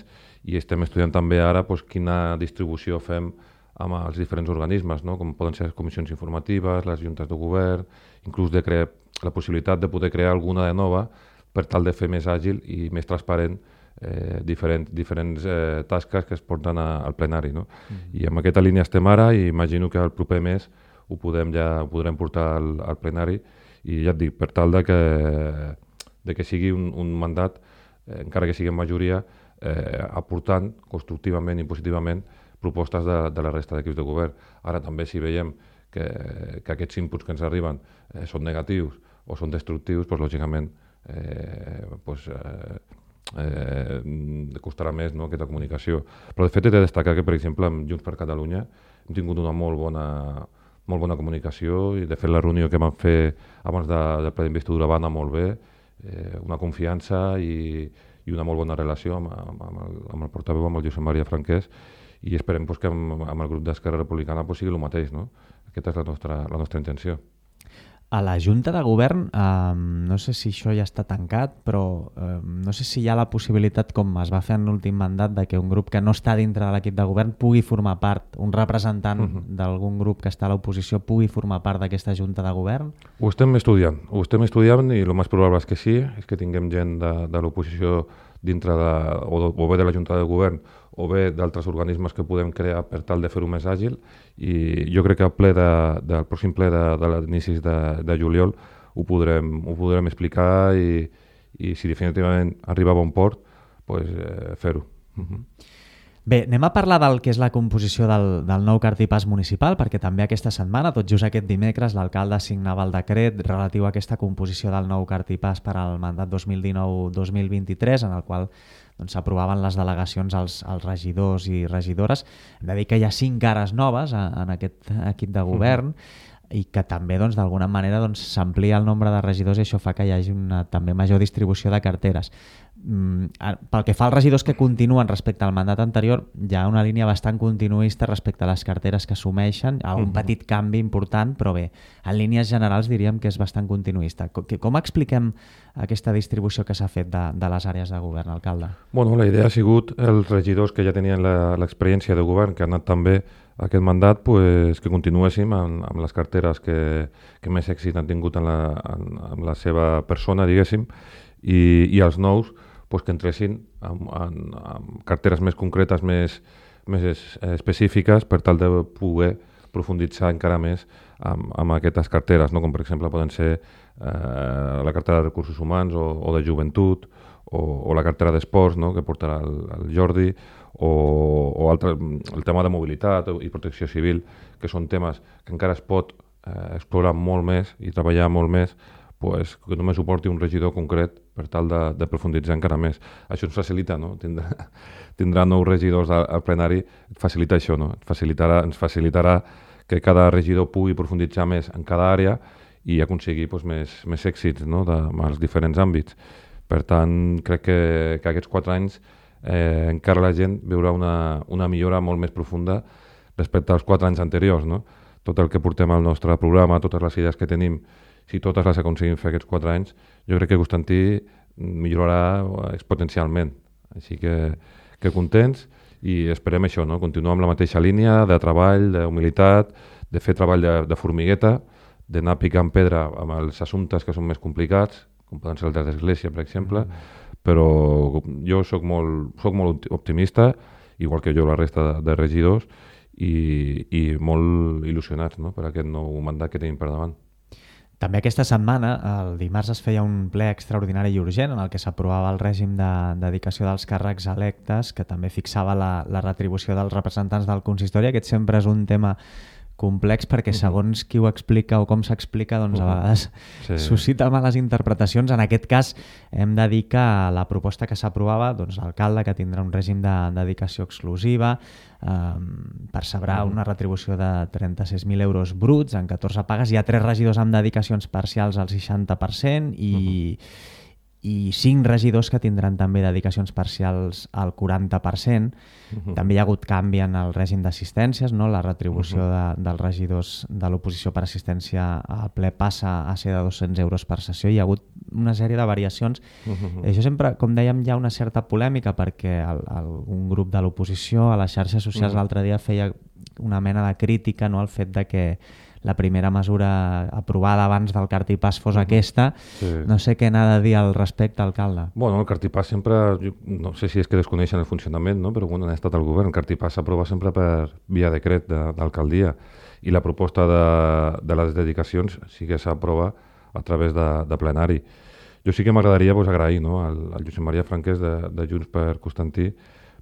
i estem estudiant també ara pues, quina distribució fem amb els diferents organismes, no? Com poden ser les comissions informatives, les juntes de govern, inclús de crear la possibilitat de poder crear alguna de nova per tal de fer més àgil i més transparent eh, diferent, diferents eh, tasques que es porten a, al plenari. No? Mm-hmm. I amb aquesta línia estem ara, i imagino que el proper mes ho podem, ja, ho podrem portar al, al plenari i ja et dic, per tal de que, de que sigui un, un mandat, eh, encara que sigui en majoria, eh, aportant constructivament i positivament propostes de, de la resta d'equips de govern. Ara també si veiem que, que aquests inputs que ens arriben eh, són negatius o són destructius, doncs, lògicament eh, doncs, eh, eh, costarà més, no, aquesta comunicació. Però de fet he de destacar que, per exemple, amb Junts per Catalunya hem tingut una molt bona, molt bona comunicació i de fet la reunió que vam fer abans de, del ple d'investidura va anar molt bé, eh, una confiança i, i una molt bona relació amb, amb, amb, el, amb el portaveu, amb el Josep Maria Franquès, i esperem pues, que amb, amb el grup d'Esquerra Republicana pues, sigui el mateix. No? Aquesta és la nostra, la nostra intenció. A la Junta de Govern, eh, no sé si això ja està tancat, però eh, no sé si hi ha la possibilitat, com es va fer en l'últim mandat, de que un grup que no està dintre de l'equip de govern pugui formar part, un representant uh-huh. d'algun grup que està a l'oposició pugui formar part d'aquesta Junta de Govern? Ho estem estudiant, ho estem estudiant i el més probable és que sí, és que tinguem gent de, de l'oposició dintre de, o, o bé de la Junta de Govern o bé d'altres organismes que podem crear per tal de fer-ho més àgil, i jo crec que al ple de, del pròxim ple de, de l'inicis de, de juliol ho podrem, ho podrem explicar i, i si definitivament arriba a bon port, pues, eh, fer-ho. Uh-huh. Bé, anem a parlar del que és la composició del, del nou cartipàs municipal, perquè també aquesta setmana, tot just aquest dimecres, l'alcalde signava el decret relatiu a aquesta composició del nou cartipàs per al mandat dos mil dinou dos mil vint-i-tres, en el qual doncs, s'aprovaven les delegacions als, als regidors i regidores. Hem de dir que hi ha cinc cares noves a, en aquest equip de govern, mm-hmm. i que també doncs, d'alguna manera doncs, s'amplia el nombre de regidors i això fa que hi hagi una també major distribució de carteres. Mm, pel que fa als regidors que continuen respecte al mandat anterior, hi ha una línia bastant continuista respecte a les carteres que assumeixen, un uh-huh. petit canvi important, però bé, en línies generals diríem que és bastant continuista. Com, com expliquem aquesta distribució que s'ha fet de, de les àrees de govern, alcalde? Bueno, la idea ha sigut els regidors que ja tenien l'experiència de govern, que han anat també aquest mandat, pues, que continuéssim amb, amb les carteres que, que més èxit han tingut en la, en, en la seva persona, diguéssim, i, i els nous pues, que entressin amb, amb, amb carteres més concretes, més, més específiques, per tal de poder profunditzar encara més amb, amb aquestes carteres, no? Com per exemple poden ser eh, la cartera de recursos humans o, o de joventut o, o la cartera d'esports, no? Que portarà el, el Jordi, o, o altre, el tema de mobilitat i protecció civil, que són temes que encara es pot eh, explorar molt més i treballar molt més, pues, que només ho porti un regidor concret per tal de, de profunditzar encara més. Això ens facilita, no? Tindrà, tindrà nous regidors al, al plenari, facilita això, no? Facilitarà, ens facilitarà que cada regidor pugui profunditzar més en cada àrea i aconseguir pues, més, més èxits, no? De, als diferents àmbits. Per tant, crec que, que aquests quatre anys eh, encara la gent veurà una, una millora molt més profunda respecte als quatre anys anteriors, no? Tot el que portem al nostre programa, totes les idees que tenim, si totes les aconseguim fer aquests quatre anys, jo crec que Constantí millorarà exponencialment. Així que, que contents i esperem això, no? Continuar amb la mateixa línia de treball, d'humilitat, de fer treball de, de formigueta, d'anar picant pedra amb els assumptes que són més complicats, com poden ser el de l'església, per exemple, mm. però jo soc molt, soc molt optimista, igual que jo la resta de, de regidors, i, i molt il·lusionats, no? Per aquest nou mandat que tenim per davant. També aquesta setmana, el dimarts, es feia un ple extraordinari i urgent en el que s'aprovava el règim de dedicació dels càrrecs electes, que també fixava la, la retribució dels representants del consistori. Aquest sempre és un tema complex perquè segons qui ho explica o com s'explica, doncs a vegades sí. suscita males interpretacions. En aquest cas hem de dir que la proposta que s'aprovava, doncs l'alcalde, que tindrà un règim de dedicació exclusiva, eh, percebrà mm. una retribució de trenta-sis mil euros bruts en catorze pagues. Hi ha tres regidors amb dedicacions parcials al seixanta per cent i... Mm-hmm. i cinc regidors que tindran també dedicacions parcials al quaranta per cent. Uh-huh. També hi ha hagut canvi en el règim d'assistències, no? La retribució uh-huh. de, dels regidors de l'oposició per assistència al ple passa a ser de dos-cents euros per sessió. Hi ha hagut una sèrie de variacions. Uh-huh. Això sempre, com dèiem, hi ha una certa polèmica perquè el, el, un grup de l'oposició a les xarxes socials uh-huh. l'altre dia feia una mena de crítica, no? Al fet de que la primera mesura aprovada abans del cartipàs fos aquesta. Sí. No sé què n'ha de dir al respecte, alcalde. Bueno, el cartipàs sempre, no sé si és que desconeixen el funcionament, no? Però bueno, han estat al govern. El cartipàs s'aprova sempre per via decret de, d'alcaldia i la proposta de, de les dedicacions sí que s'aprova a través de, de plenari. Jo sí que m'agradaria pues, agrair no, al, al Josep Maria Franquès de, de Junts per Constantí,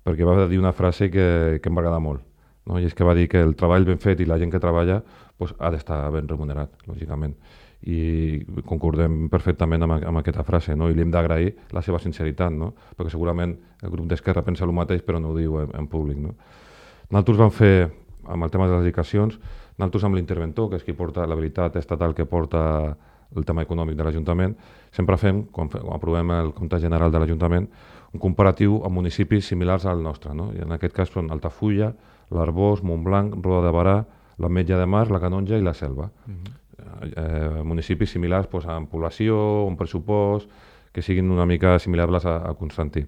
perquè va dir una frase que, que em va agradar molt, no? I és que va dir que el treball ben fet i la gent que treballa pues, ha d'estar ben remunerat, lògicament. I concordem perfectament amb, amb aquesta frase, no? I li hem d'agrair la seva sinceritat, no? Perquè segurament el grup d'Esquerra pensa el mateix però no ho diu en, en públic. No? Nosaltres vam fer, amb el tema de les dedicacions, nosaltres amb l'interventor, que és qui porta la veritat estatal que porta el tema econòmic de l'Ajuntament, sempre fem, quan, quan aprovem el compte general de l'Ajuntament, un comparatiu amb municipis similars al nostre. No? I en aquest cas són Altafulla, l'Arboç, Montblanc, Roda de Barà, l'Ametlla de Mar, la Canonja i la Selva. Uh-huh. eh, municipis similars pues, en població, en pressupost, que siguin una mica similars a, a Constantí.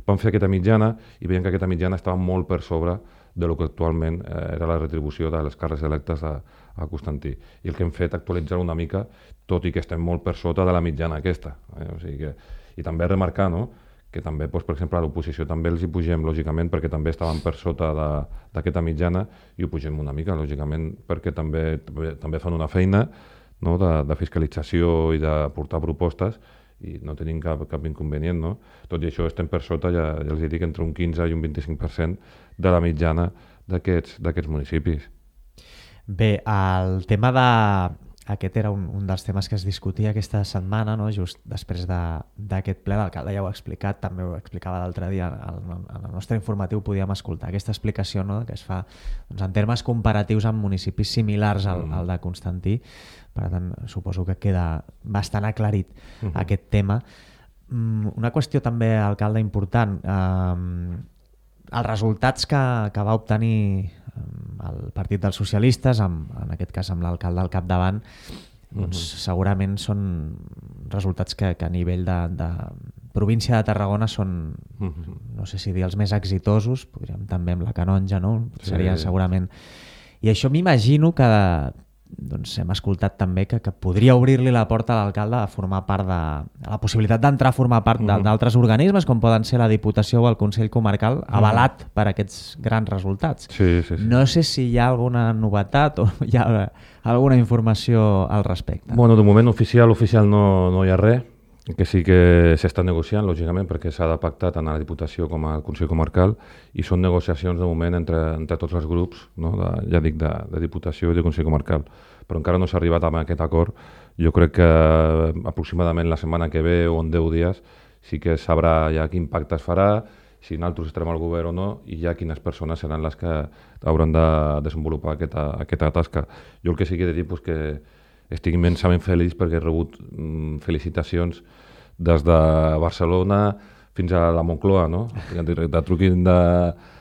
Vam fer aquesta mitjana i veiem que aquesta mitjana estava molt per sobre de lo que actualment eh, era la retribució de les càrrecs electes a, a Constantí. I el que hem fet actualitzar una mica, tot i que estem molt per sota de la mitjana aquesta. Eh? O sigui que, i també remarcar, no?, que també, doncs, per exemple, a l'oposició també els hi pugem, lògicament, perquè també estaven per sota d'aquesta mitjana i ho pugem una mica, lògicament, perquè també, també, també fan una feina, no?, de, de fiscalització i de portar propostes i no tenim cap, cap inconvenient. No? Tot i això estem per sota, ja, ja els dic, entre un quinze i un vint-i-cinc per cent de la mitjana d'aquests municipis. Bé, el tema de... Aquest era un, un dels temes que es discutia aquesta setmana, no? Just després d'aquest ple. L'alcalde ja ho ha explicat, també ho explicava l'altre dia, en el nostre informatiu podíem escoltar aquesta explicació, no?, que es fa doncs, en termes comparatius amb municipis similars al, mm. al de Constantí. Per tant, suposo que queda bastant aclarit mm-hmm. aquest tema. Una qüestió també, alcalde, important. Eh, els resultats que, que va obtenir el Partit dels Socialistes, amb, en aquest cas amb l'alcalde al capdavant, doncs, uh-huh. segurament són resultats que, que a nivell de, de província de Tarragona són, uh-huh. no sé si dir els més exitosos, podríem també amb la Canonja, no? Sí. Seria segurament... I això m'imagino que doncs, hem escoltat també que, que podria obrir-li la porta a l'alcalde a formar part de... A la possibilitat d'entrar a formar part uh-huh. d'altres organismes, com poden ser la Diputació o el Consell Comarcal, avalat uh-huh. per aquests grans resultats. Sí, sí, sí. No sé si hi ha alguna novetat o hi ha alguna informació al respecte. Bueno, de moment oficial, oficial no, no hi ha res, que sí que s'està negociant, lògicament, perquè s'ha de pactar tant a la Diputació com al Consell Comarcal i són negociacions de moment entre, entre tots els grups, no? de, ja dic, de, de Diputació i de Consell Comarcal, però encara no s'ha arribat a aquest acord. Jo crec que aproximadament la setmana que ve o en deu dies sí que sabrà ja quin pacte es farà, si nosaltres estarem al govern o no, i ja quines persones seran les que hauran de desenvolupar aquesta, aquesta tasca. Jo el que sí que he de dir és que estic immensament feliç perquè he rebut mm, felicitacions des de Barcelona fins a la Moncloa, no? De truquin de,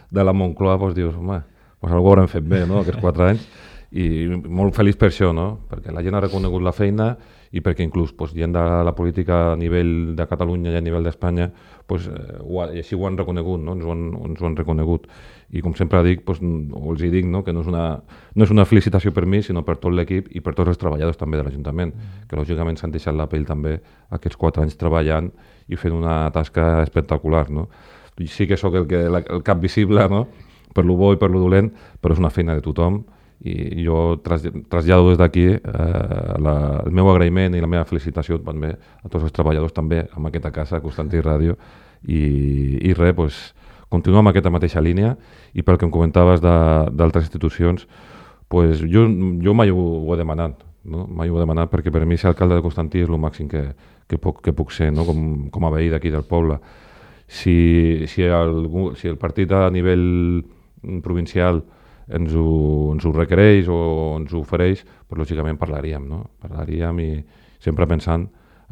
de la Moncloa, doncs dius, home, doncs algú ho haurem fet bé, no?, aquests quatre anys. I molt feliç per això, no? Perquè la gent ha reconegut la feina i perquè inclús doncs, gent de la política a nivell de Catalunya i a nivell d'Espanya doncs, ho ha, i així ho han reconegut, no? ens, ho han, ens ho han reconegut. I com sempre dic, doncs, o els hi dic, no? que no és, una, no és una felicitació per mi, sinó per tot l'equip i per tots els treballadors també de l'Ajuntament, mm. que lògicament s'han deixat la pell també aquests quatre anys treballant i fent una tasca espectacular. No? I sí que sóc el, que, el cap visible, no? per lo bo i per lo dolent, però és una feina de tothom. I jo trasllado des d'aquí eh, el meu agraïment i la meva felicitació també a tots els treballadors també amb aquesta casa, Constantí Ràdio, i, i res, doncs, continuo amb aquesta mateixa línia i pel que em comentaves d'altres institucions, doncs, jo, jo mai ho, ho he demanat, no? mai ho he demanat perquè per mi ser alcalde de Constantí és el màxim que, que, puc, que puc ser, no? com, com a veí d'aquí del poble. Si, si, el, si el partit a nivell provincial ens ho, ens ho requereix o ens ho ofereix, doncs lògicament parlaríem, no? Parlaríem i sempre pensant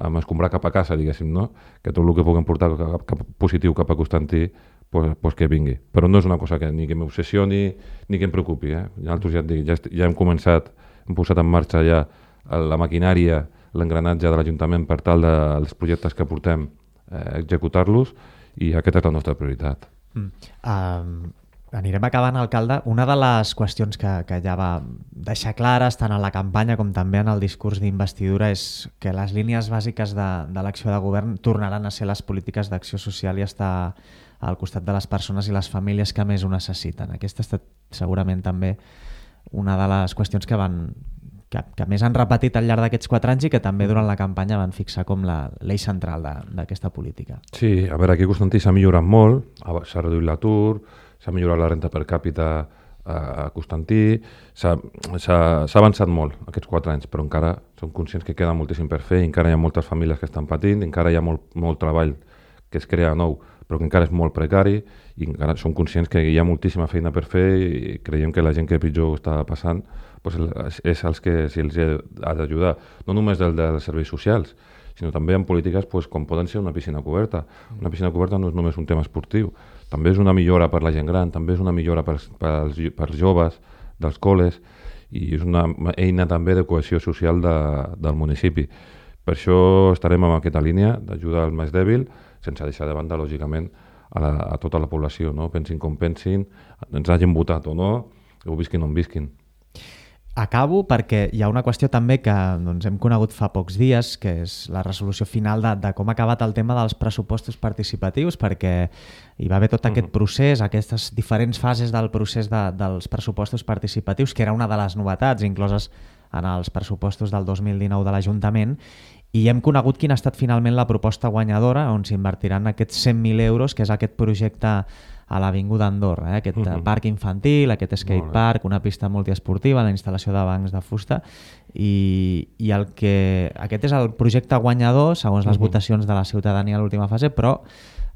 en escombrar cap a casa, diguéssim, no? Que tot el que puguem portar cap, cap positiu cap a Constantí, pues, pues que vingui. Però no és una cosa que ni que m'obsessioni ni que em preocupi. Eh? Nosaltres ja, dic, ja, ja hem començat, hem posat en marxa ja la maquinària, l'engranatge de l'Ajuntament per tal dels projectes que portem eh, executar-los i aquesta és la nostra prioritat. Mm. Um... Anirem acabant, alcalde. Una de les qüestions que, que ja va deixar clares tant a la campanya com també en el discurs d'investidura és que les línies bàsiques de, de l'acció de govern tornaran a ser les polítiques d'acció social i estar al costat de les persones i les famílies que més ho necessiten. Aquesta ha estat segurament també una de les qüestions que van que, que més han repetit al llarg d'aquests quatre anys i que també durant la campanya van fixar com l'eix central d'aquesta política. Sí, a veure, aquí a Constantí s'ha millorat molt, s'ha reduït l'atur, s'ha millorat la renta per càpita a Constantí, s'ha avançat molt aquests quatre anys, però encara som conscients que queda moltíssim per fer, encara hi ha moltes famílies que estan patint, encara hi ha molt, molt treball que es crea nou, però que encara és molt precari i encara som conscients que hi ha moltíssima feina per fer i creiem que la gent que pitjor està passant doncs és els que se'ls ha d'ajudar, no només del dels serveis socials, sinó també en polítiques doncs, com poden ser una piscina coberta. Una piscina coberta no és només un tema esportiu, també és una millora per la gent gran, també és una millora per, per, per els joves dels col·les i és una eina també de cohesió social de, del municipi. Per això estarem en aquesta línia d'ajudar al més dèbil, sense deixar de banda, lògicament, a, la, a tota la població, no? Pensin com pensin, ens hagin votat o no, o visquin on visquin. Acabo perquè hi ha una qüestió també que doncs, hem conegut fa pocs dies, que és la resolució final de, de com ha acabat el tema dels pressupostos participatius, perquè hi va haver tot aquest procés, aquestes diferents fases del procés de, dels pressupostos participatius, que era una de les novetats incloses en els pressupostos del dos mil dinou de l'Ajuntament, i hem conegut quina ha estat finalment la proposta guanyadora, on s'invertiran aquests cent mil euros, que és aquest projecte a l'Avinguda Andorra, eh? aquest uh -huh. parc infantil, aquest skatepark, una pista multiesportiva, la instal·lació de bancs de fusta, i, i el que aquest és el projecte guanyador, segons les uh -huh. votacions de la ciutadania a l'última fase, però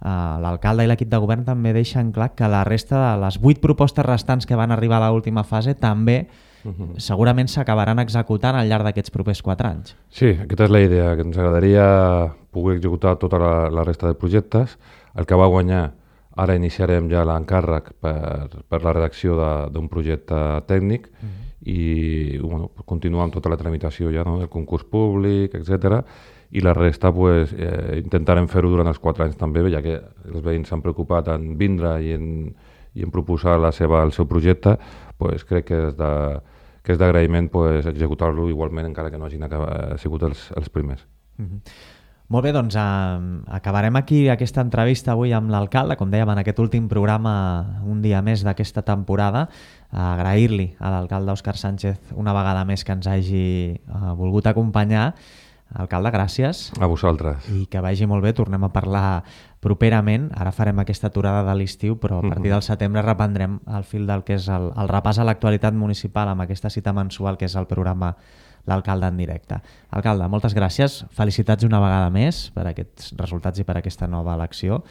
eh, l'alcalde i l'equip de govern també deixen clar que la resta de les vuit propostes restants que van arribar a l'última fase també Uh-huh. segurament s'acabaran executant al llarg d'aquests propers quatre anys. Sí, aquesta és la idea, que ens agradaria poder executar tota la, la resta de projectes. El que va guanyar, ara iniciarem ja l'encàrrec per, per la redacció d'un projecte tècnic uh-huh. i bueno, continuar amb tota la tramitació ja, no? El concurs públic, etcètera. I la resta pues, eh, intentarem fer-ho durant els quatre anys també, ja que els veïns s'han preocupat en vindre i en, i en proposar la seva, el seu projecte, pues, crec que és de que és d'agraïment pues, executar-lo igualment encara que no hagin acabat, sigut els, els primers. Mm-hmm. Molt bé, doncs eh, acabarem aquí aquesta entrevista avui amb l'alcalde, com dèiem en aquest últim programa un dia més d'aquesta temporada. Agrair-li a l'alcalde Òscar Sánchez una vegada més que ens hagi eh, volgut acompanyar. Alcalde, gràcies. A vosaltres. I que vagi molt bé, tornem a parlar properament. Ara farem aquesta aturada de l'estiu, però a partir del setembre reprendrem el fil del que és el, el repàs a l'actualitat municipal amb aquesta cita mensual que és el programa L'Alcalde en directe. Alcalde, moltes gràcies. Felicitats una vegada més per aquests resultats i per aquesta nova elecció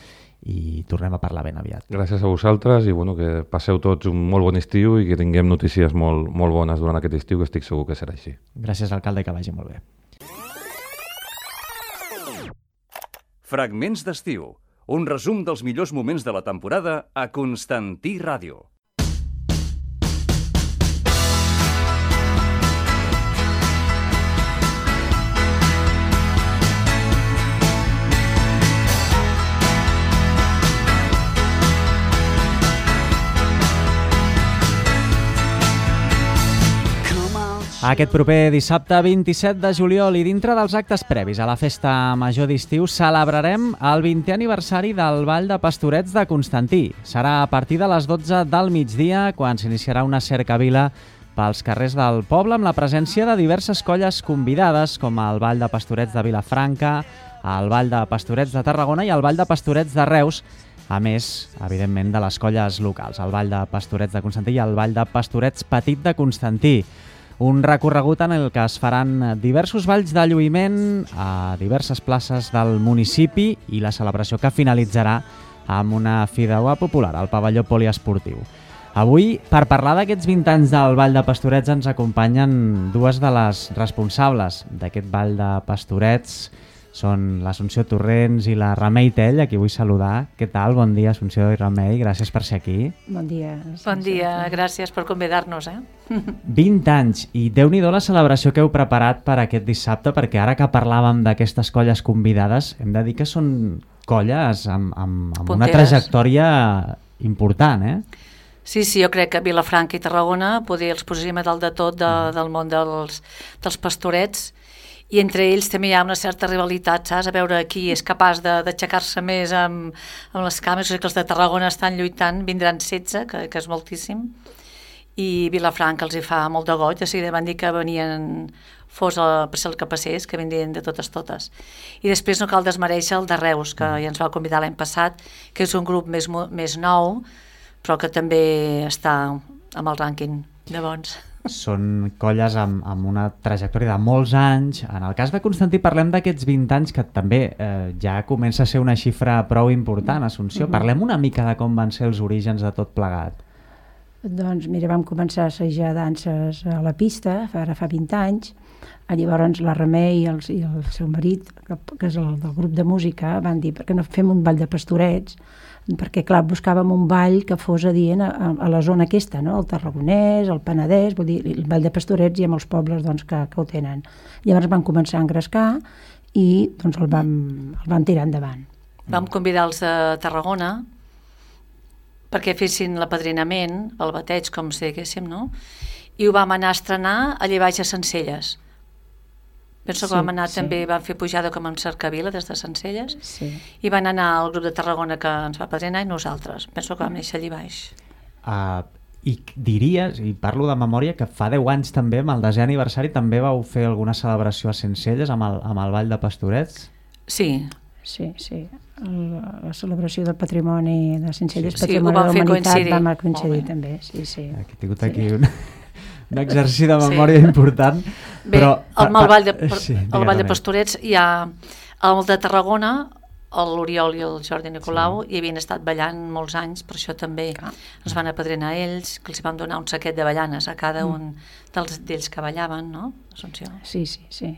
i tornem a parlar ben aviat. Gràcies a vosaltres i bueno, que passeu tots un molt bon estiu i que tinguem notícies molt, molt bones durant aquest estiu, que estic segur que serà així. Gràcies, alcalde, i que vagi molt bé. Fragments d'estiu, un resum dels millors moments de la temporada a Constantí Ràdio. Aquest proper dissabte vint-i-set de juliol i dintre dels actes previs a la festa major d'estiu celebrarem el vintè aniversari del Ball de Pastorets de Constantí. Serà a partir de les dotze del migdia quan s'iniciarà una cercavila pels carrers del poble amb la presència de diverses colles convidades com el Ball de Pastorets de Vilafranca, el Ball de Pastorets de Tarragona i el Ball de Pastorets de Reus, a més, evidentment, de les colles locals, el Ball de Pastorets de Constantí i el Ball de Pastorets Petit de Constantí. Un recorregut en el que es faran diversos balls de lluïment a diverses places del municipi i la celebració que finalitzarà amb una fideuà popular al pavelló poliesportiu. Avui, per parlar d'aquests vint anys del Ball de Pastorets, ens acompanyen dues de les responsables d'aquest Ball de Pastorets. Són l'Assumpció Torrents i la Remei Tell, a qui vull saludar. Què tal? Bon dia, Assumpció i Remei. Gràcies per ser aquí. Bon dia. Bon dia, gràcies per convidar-nos. Eh? vint anys, i Déu-n'hi-do la celebració que heu preparat per aquest dissabte, perquè ara que parlàvem d'aquestes colles convidades, hem de dir que són colles amb, amb, amb una trajectòria important, eh? Sí, sí, jo crec que Vilafranca i Tarragona poder els posem a dalt de tot de, del món dels, dels pastorets, i entre ells també hi ha una certa rivalitat, saps? A veure qui és capaç d'aixecar-se més amb, amb les cames. O sigui que els de Tarragona estan lluitant, vindran setze, que, que és moltíssim, i Vilafranca els hi fa molt de goig, de seguida van dir que venien, fos el, per ser el que passés, que vindrien de totes totes. I després no cal desmereixer el de Reus, que ja ens va convidar l'any passat, que és un grup més, més nou, però que també està amb el rànquing de bons. Són colles amb, amb una trajectòria de molts anys. En el cas de Constantí parlem d'aquests vint anys, que també eh, ja comença a ser una xifra prou important, Assumpció. Mm-hmm. Parlem una mica de com van ser els orígens de tot plegat. Doncs mira, vam començar a assajar danses a la pista, ara fa vint anys. Llavors la Remei i el, i el seu marit, que, que és el del grup de música, van dir, per què no fem un ball de pastorets? Perquè, clar, buscàvem un ball que fos adient a, a la zona aquesta, no? El Tarragonès, el Penedès, vull dir, el ball de pastorets i amb els pobles doncs, que, que ho tenen. Llavors van començar a engrescar i doncs, el, vam, el vam tirar endavant. Vam convidar els de Tarragona perquè fessin l'apadrinament, el bateig, com si diguéssim, no? I ho vam anar a estrenar allà baix a Sencelles. Penso que sí, vam anar sí. també, vam fer pujada com en Cercavila des de Sencelles, sí. i van anar al grup de Tarragona que ens va padrinar i nosaltres. Penso que vam néixer allà baix. Uh, I diries, i parlo de memòria, que fa deu anys també, amb el desè aniversari, també vau fer alguna celebració a Sencelles amb el, amb el Ball de Pastorets? Sí. Sí, sí. El, la celebració del patrimoni de Sencelles, sí, Patrimoni sí, de la Humanitat, vam coincidir, coincidir també. Sí, sí. Aquí he tingut aquí sí. un, un exercici de memòria sí. important. Bé, però, el, el Ball de, sí, el Ball de més. Pastorets hi ha el de Tarragona, l'Oriol i el Jordi Nicolau, sí. i havien estat ballant molts anys, per això també ah. ens van apadrinar ells, que els vam donar un saquet de ballanes a cada mm. un dels d'ells que ballaven, no? Assumpció. Sí, sí, sí.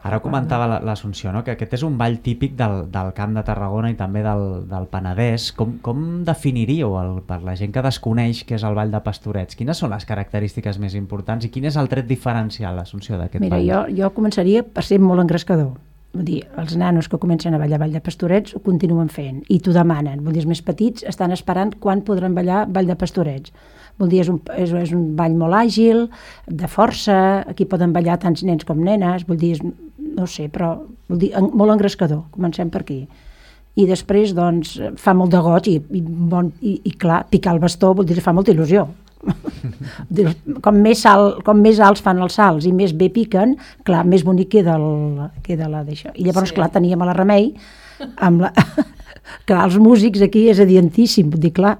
Ara comentava l'Assumpció, no? Que aquest és un ball típic del, del Camp de Tarragona i també del, del Penedès. Com, com definiríeu, el, per la gent que desconeix què és el Ball de Pastorets? Quines són les característiques més importants i quin és el tret diferencial, l'Assumpció, d'aquest ball? Mira, jo, jo començaria per ser molt engrescador. Vull dir, els nanos que comencen a ballar Ball de Pastorets ho continuen fent i t'ho demanen. Vull dir, els més petits estan esperant quan podran ballar Ball de Pastorets. Vol dir, és un, és, és un ball molt àgil, de força, aquí poden ballar tants nens com nenes, vull dir, és, no sé, però vol dir, en, molt engrescador, comencem per aquí. I després, doncs, fa molt de goig i, i, bon, i, i clar, picar el bastó, vol dir, fa molta il·lusió. com, més salt, com més alts fan els salts i més bé piquen, clar, més bonic queda, el, queda la d'això. I llavors, sí. clar, teníem a la Remei, amb la... clar, els músics aquí és adiantíssim, vull dir, clar,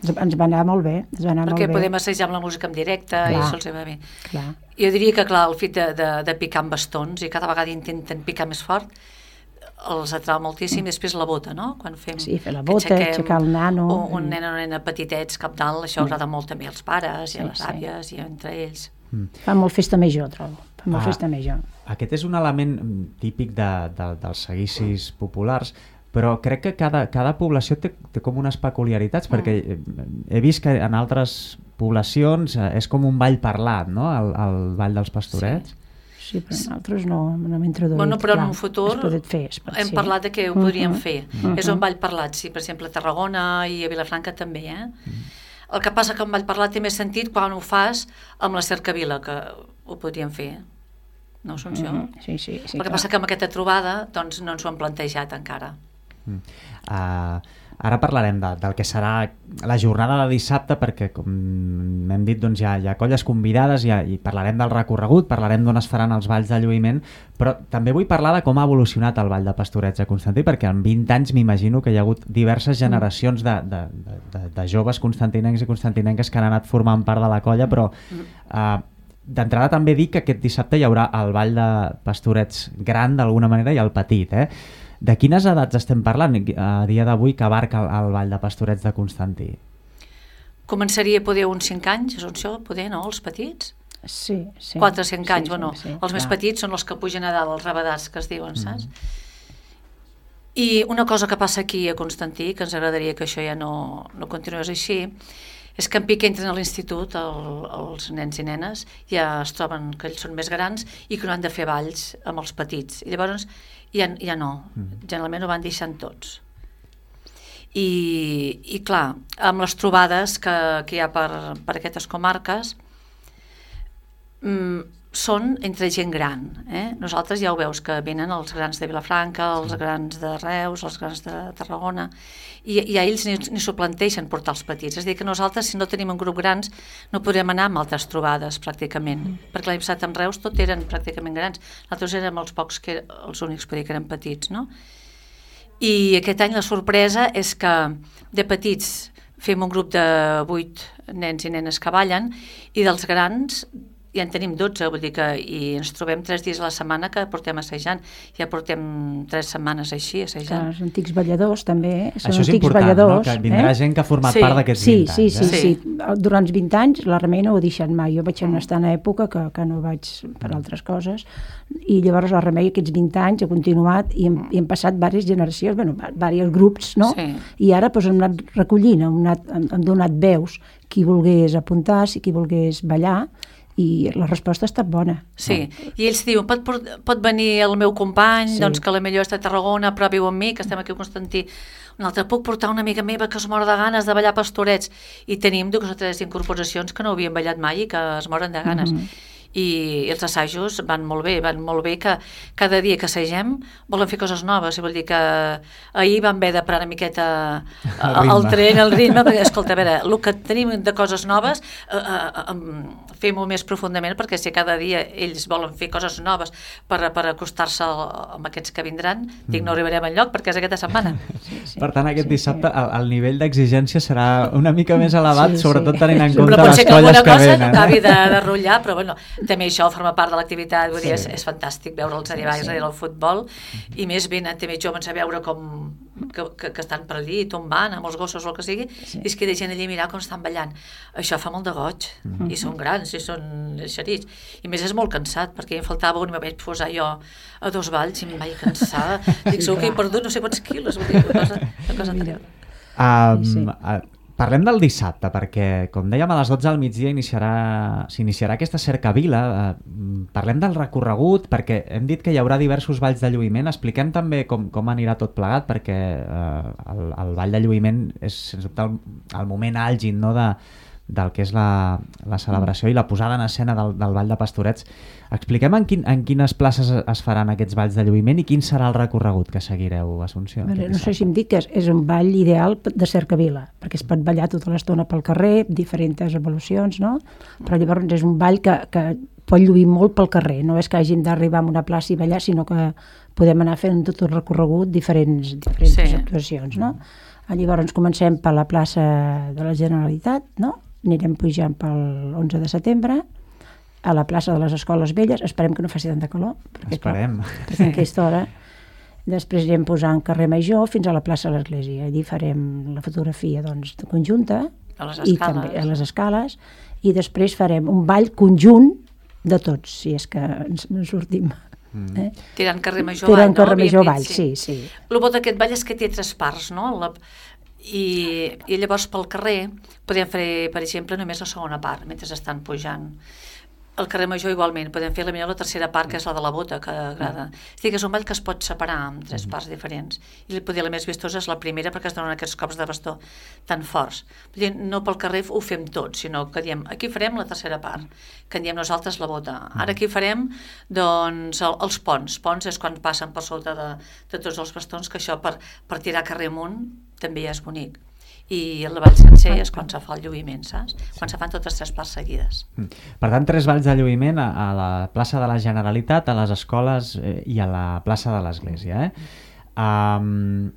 ens va anar molt bé, ens va anar perquè molt bé. podem assajar amb la música en directe clar, i això els va bé. Clar. Jo diria que clar, el fet de, de, de picar amb bastons i cada vegada intenten picar més fort els atrau moltíssim, mm. després la bota, no? Quan fem, sí, fer la bota, aixecar el nano. Un, un nen o una nena petitets cap dalt, això mm. agrada molt també als pares i a les sí, àvies sí. i entre ells. Mm. Fa molt festa major, trobo. Fa molt ah, festa major. Aquest és un element típic de, de, dels seguicis populars, però crec que cada, cada població té, té com unes peculiaritats, mm. perquè he vist que en altres poblacions és com un ball parlat, no?, el, el ball dels pastorets. Sí, sí però nosaltres no, no m'he introduït. Bueno, però en un futur fer, hem sí. parlat de que ho podríem uh-huh. fer. Uh-huh. És un ball parlat, sí, per exemple, a Tarragona i a Vilafranca també, eh? Uh-huh. El que passa que un ball parlat té més sentit quan ho fas amb la Cercavila, que ho podríem fer. No, Assumpció? Uh-huh. Sí, sí, sí. El que clar. passa que amb aquesta trobada doncs, no ens ho hem plantejat encara. Uh, ara parlarem de, del que serà la jornada de dissabte, perquè com hem dit doncs, hi, ha, hi ha colles convidades i, i parlarem del recorregut, parlarem d'on es faran els balls de lluïment, però també vull parlar de com ha evolucionat el Ball de Pastorets a Constantí, perquè en vint anys m'imagino que hi ha hagut diverses generacions de, de, de, de, de joves constantinencs i constantinenques que han anat formant part de la colla, però uh, d'entrada també dic que aquest dissabte hi haurà el Ball de Pastorets gran d'alguna manera i el petit, eh? De quines edats estem parlant a dia d'avui que abarca el, el Ball de Pastorets de Constantí? Començaria poder uns cinc anys, Assumpció, poder, no? Els petits? Sí, sí. quatre o cinc anys, sí, bueno, sí, sí, els clar. més petits són els que pugen a dalt, els rabadats que es diuen, mm. saps? I una cosa que passa aquí a Constantí, que ens agradaria que això ja no, no continués així, és que en pic entren a l'institut el, els nens i nenes, ja es troben que ells són més grans i que no han de fer balls amb els petits. I llavors ja, ja no, generalment ho van deixant tots. I, i clar, amb les trobades que, que hi ha per, per aquestes comarques, mmm, són entre gent gran. Eh? Nosaltres ja ho veus, que venen els grans de Vilafranca, els grans de Reus, els grans de Tarragona, i, i a ells ni, ni s'ho planteixen portar els petits. És a dir, que nosaltres, si no tenim un grup grans, no podrem anar amb altres trobades, pràcticament. Mm. Perquè l'any passat amb Reus tot eren pràcticament grans. Nosaltres érem els pocs, que, els únics per dir que eren petits, no? I aquest any la sorpresa és que de petits fem un grup de vuit nens i nenes que ballen, i dels grans ja en tenim dotze, vull dir que i ens trobem tres dies a la setmana que portem assajant. Ja portem tres setmanes així assajant. Els antics balladors també, són Això és antics important, balladors. No? Que vindrà eh? gent que ha format sí. part d'aquests sí, vint sí, anys. Sí, eh? sí, sí. Durant vint anys la Remei no ho ha deixat mai. Jo vaig estar en una època que, que no vaig per altres coses, i llavors la Remei aquests vint anys ha continuat i hem, i hem passat diverses generacions, bueno, diversos grups, no? Sí. I ara doncs, hem anat recollint, hem, anat, hem, hem donat veus qui volgués apuntar, si qui volgués ballar, i la resposta ha estat bona. Sí, i ells diuen, pot, pot venir el meu company, sí. doncs que la millor és de Tarragona, però viu amb mi, que estem aquí a Constantí. Un altre, puc portar una amiga meva que es mor de ganes de ballar pastorets. I tenim dues o tres incorporacions que no havien ballat mai i que es moren de ganes. Mm-hmm. I els assajos van molt bé, van molt bé, que cada dia que assagem volen fer coses noves, i vol dir que ahir vam haver de parar una miqueta el, el tren, el ritme, perquè, escolta, a veure, el que tenim de coses noves eh, eh, fem-ho més profundament, perquè si cada dia ells volen fer coses noves per, per acostar-se amb aquests que vindran, dic, no arribarem enlloc perquè és aquesta setmana. Sí, sí. Per tant, aquest sí, dissabte sí. el, el nivell d'exigència serà una mica més elevat, Sí, sobretot sí. tenint en Sí. compte Però pot les ser que colles alguna que cosa venen. acabi de, de rotllar, però bueno, també això forma part de l'activitat, vull dir, Sí. és, és fantàstic veure'ls arribar sí, sí. al futbol, i més venen també joves a veure com que, que, que estan per allí, tombant, amb els gossos o el que sigui, sí. i es queda gent allí a mirar com estan ballant. Això fa molt de goig, mm-hmm. i són grans, i són xerits. I més és molt cansat, perquè em faltava un i me vaig posar jo a dos balls i em vaig cansar. Dic, segur que he perdut no sé quants quilos, vull dir, una cosa, una cosa terrible. Um, Sí. uh, Parlem del dissabte, perquè, com dèiem, a les dotze del migdia iniciarà, s'iniciarà aquesta cercavila. Eh, parlem del recorregut, perquè hem dit que hi haurà diversos balls de lluïment. Expliquem també com, com anirà tot plegat, perquè eh, el, el ball de lluïment és, sens dubte, el, el moment àlgid, no?, de, del que és la, la celebració i la posada en escena del, del ball de Pastorets. Expliquem en, quin, en quines places es faran aquests balls de lluïment i quin serà el recorregut que seguireu, Assumpció. Bueno, no sé si em dic que és, és un ball ideal de cercavila, perquè es pot ballar tota l'estona pel carrer, diferents evolucions, no? Però llavors és un ball que, que pot lluir molt pel carrer, no és que hagin d'arribar a una plaça i ballar, sinó que podem anar fent tot el recorregut diferents, diferents sí. actuacions, no? Llavors comencem per la plaça de la Generalitat, no? Anirem pujant pel onze de setembre, a la plaça de les Escoles Velles, esperem que no faci tanta calor, perquè, esperem. Clar, perquè en aquesta hora. Després anirem posant carrer Major fins a la plaça de l'Església. Allí farem la fotografia, doncs, conjunta, a les i escales. també a les escales, i després farem un ball conjunt de tots, si és que ens en sortim. Mm. Eh? Tirant carrer Major Tirant Vall, no? carrer Major Havíem Vall, dit, sí, sí. El bo d'aquest ball és que té tres parts, no? La, i, I llavors pel carrer podem fer, per exemple, només la segona part, mentre estan pujant. El carrer Major igualment, podem fer la millor la tercera part, que és la de la bota, que agrada. És dir, que és un ball que es pot separar en tres parts diferents. I potser la més vistosa és la primera, perquè es donen aquests cops de bastó tan forts. Vull dir, no pel carrer ho fem tot, sinó que diem, aquí farem la tercera part, que en diem nosaltres la bota. Ara aquí farem, doncs, el, els ponts. Ponts és quan passen per sota de, de tots els bastons, que això per, per tirar carrer amunt també és bonic. I el ball sencer és quan se fa el lluïment, saps? Quan se fan totes tres parts seguides. Per tant, tres balls de lluïment a, a la plaça de la Generalitat, a les escoles eh, i a la plaça de l'Església. Eh? Um,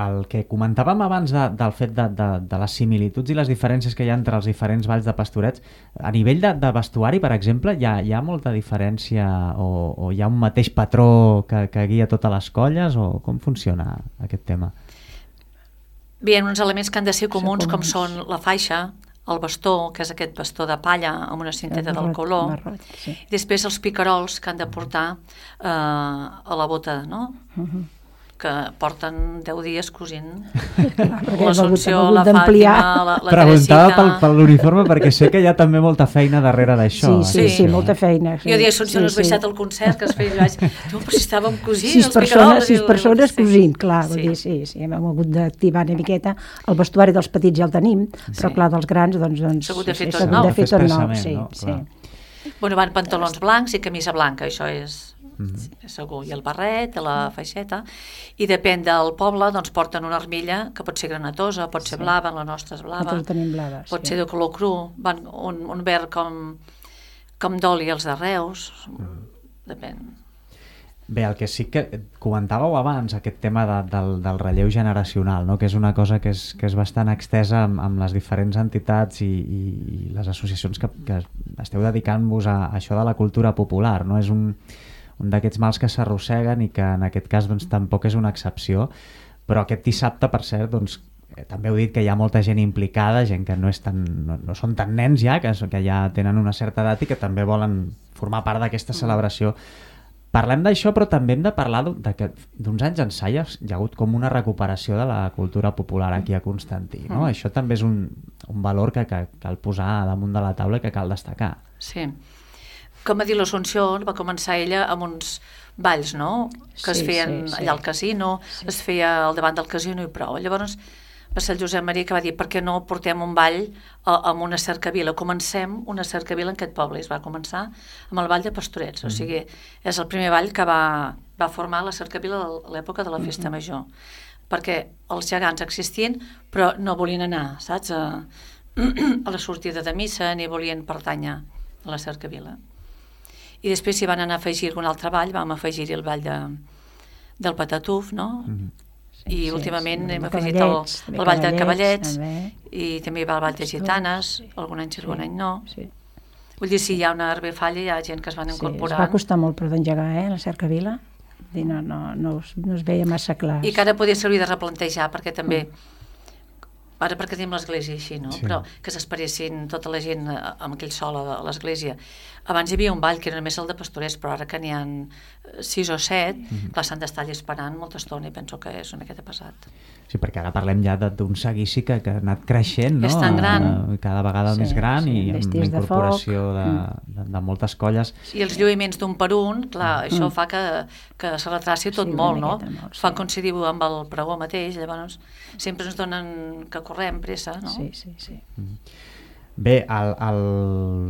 el que comentàvem abans de, del fet de, de, de les similituds i les diferències que hi ha entre els diferents balls de Pastorets, a nivell de, de vestuari, per exemple, hi ha, hi ha molta diferència o, o hi ha un mateix patró que, que guia totes les colles, o com funciona aquest tema? Bé, hi ha uns elements que han de ser comuns, com comuns. són la faixa, el bastó, que és aquest bastó de palla amb una cinteta del color, marrot, sí. i després els picarols que han de portar eh, a la bota, no? Uh-huh. Que porten deu dies cosint Clar, perquè l'Assumpció, hem hagut la d'ampliar. Fàtima, la, la Preguntava pel, Teresita... per l'uniforme perquè sé que hi ha també molta feina darrere d'això. Sí, sí, eh? sí, sí, molta feina. Sí. Jo diria, Assumpció, sí, no has sí. baixat el concert que es feia, vaig, tu, però si estàvem cosint, Sis els persones, picarols... sis diu, persones sí. cosint, clar, Sí. vull dir, sí, sí, hem hagut d'activar una miqueta. El vestuari dels petits ja el tenim, però Sí. clar, dels grans, doncs... doncs S'ha hagut de fer sí, tot s'ha hagut nou. de fer tot nou, Expressament, sí, no? sí. Clar. Bueno, van pantalons blancs i camisa blanca, això és, mm-hmm. és segur. I el barret, la feixeta. I depèn del poble, doncs porten una armilla que pot ser granatosa, pot ser sí. blava, la nostra és blava. Nosaltres tenim blava, pot sí. ser de color cru, van un, un verd com, com d'oli els de Reus. Mm. Depèn. Bé, el que sí que comentàveu abans, aquest tema de, del, del relleu generacional, no? Que és una cosa que és, que és bastant extesa amb, amb les diferents entitats i, i, i les associacions que, que esteu dedicant-vos a, a això de la cultura popular, no? És un, un d'aquests mals que s'arrosseguen i que en aquest cas doncs, tampoc és una excepció, però aquest dissabte, per cert, doncs, eh, també heu dit que hi ha molta gent implicada, gent que no, és tan, no, no són tan nens ja, que, que ja tenen una certa edat i que també volen formar part d'aquesta celebració. Parlem d'això, però també hem de parlar d'uns anys ençà hi ha hagut com una recuperació de la cultura popular aquí a Constantí, no? Mm. Això també és un, un valor que, que cal posar damunt de la taula i que cal destacar. Sí. Com a dir, l'Assumpció va començar ella amb uns balls, no? Que es sí, feien sí, sí. allà al casino, sí. es feia al davant del casino i prou. Llavors va ser el Josep Maria que va dir per què no portem un ball a, amb una cercavila, comencem una cercavila en aquest poble, i es va començar amb el ball de Pastorets, mm. o sigui, és el primer ball que va, va formar la cercavila a l'època de la festa mm. major, perquè els gegants existien però no volien anar, saps, a, a la sortida de missa, ni volien pertànyer a la cercavila. I després s'hi van anar a afegir algun altre ball, vam afegir-hi el ball de, del Patatuf, no? Mm. I sí, últimament sí, hem afegit el, el ball de cavallets també. I també hi va el ball de gitanes, sí. algun any sí, algun any no. Sí. Vull dir, si hi ha una herbefalla, hi ha gent que es van incorporant. Sí, es va costar molt per d'engegar, eh, la cercavila. No, no, no, es, no es veia massa clar. I que ara podia servir de replantejar, perquè també, ara perquè tenim l'església així, no? Sí. Però que s'esperessin tota la gent amb aquell sol a l'església. Abans hi havia un ball que era només el de Pastorets, però ara que n'hi ha sis o set, mm-hmm. clar, s'han d'estar allà esperant molta estona i penso que és una miqueta pesat. Sí, perquè ara parlem ja d'un seguici que, que ha anat creixent, no? És tan gran. Cada vegada sí, més gran sí, i amb la incorporació de, de, de, de moltes colles. I els lluïments d'un per un, clar, mm. això fa que, que se retraci tot sí, molt, no? Molt, sí. Fan coincidir amb el pregó mateix, llavors sempre ens donen que correm pressa, no? Sí, sí, sí. Mm. Bé, el, el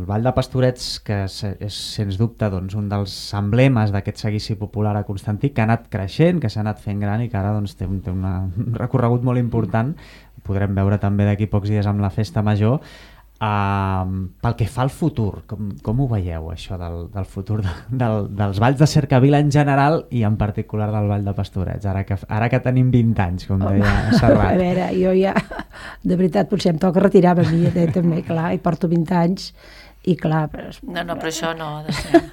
Ball de Pastorets, que és, és sens dubte doncs, un dels emblemes d'aquest seguici popular a Constantí, que ha anat creixent, que s'ha anat fent gran i que ara doncs, té, un, té una, un recorregut molt important, podrem veure també d'aquí pocs dies amb la festa major. Uh, pel que fa al futur, com, com ho veieu això del, del futur de, del, dels balls de cercavila en general i en particular del Ball de Pastorets, ara que, ara que tenim vint anys, com deia oh, Serrat? A veure, jo ja, de veritat, potser em toca retirar-me a mi, eh, també, clar, i porto vint anys, i clar... Però... No, no, però això no ha de ser...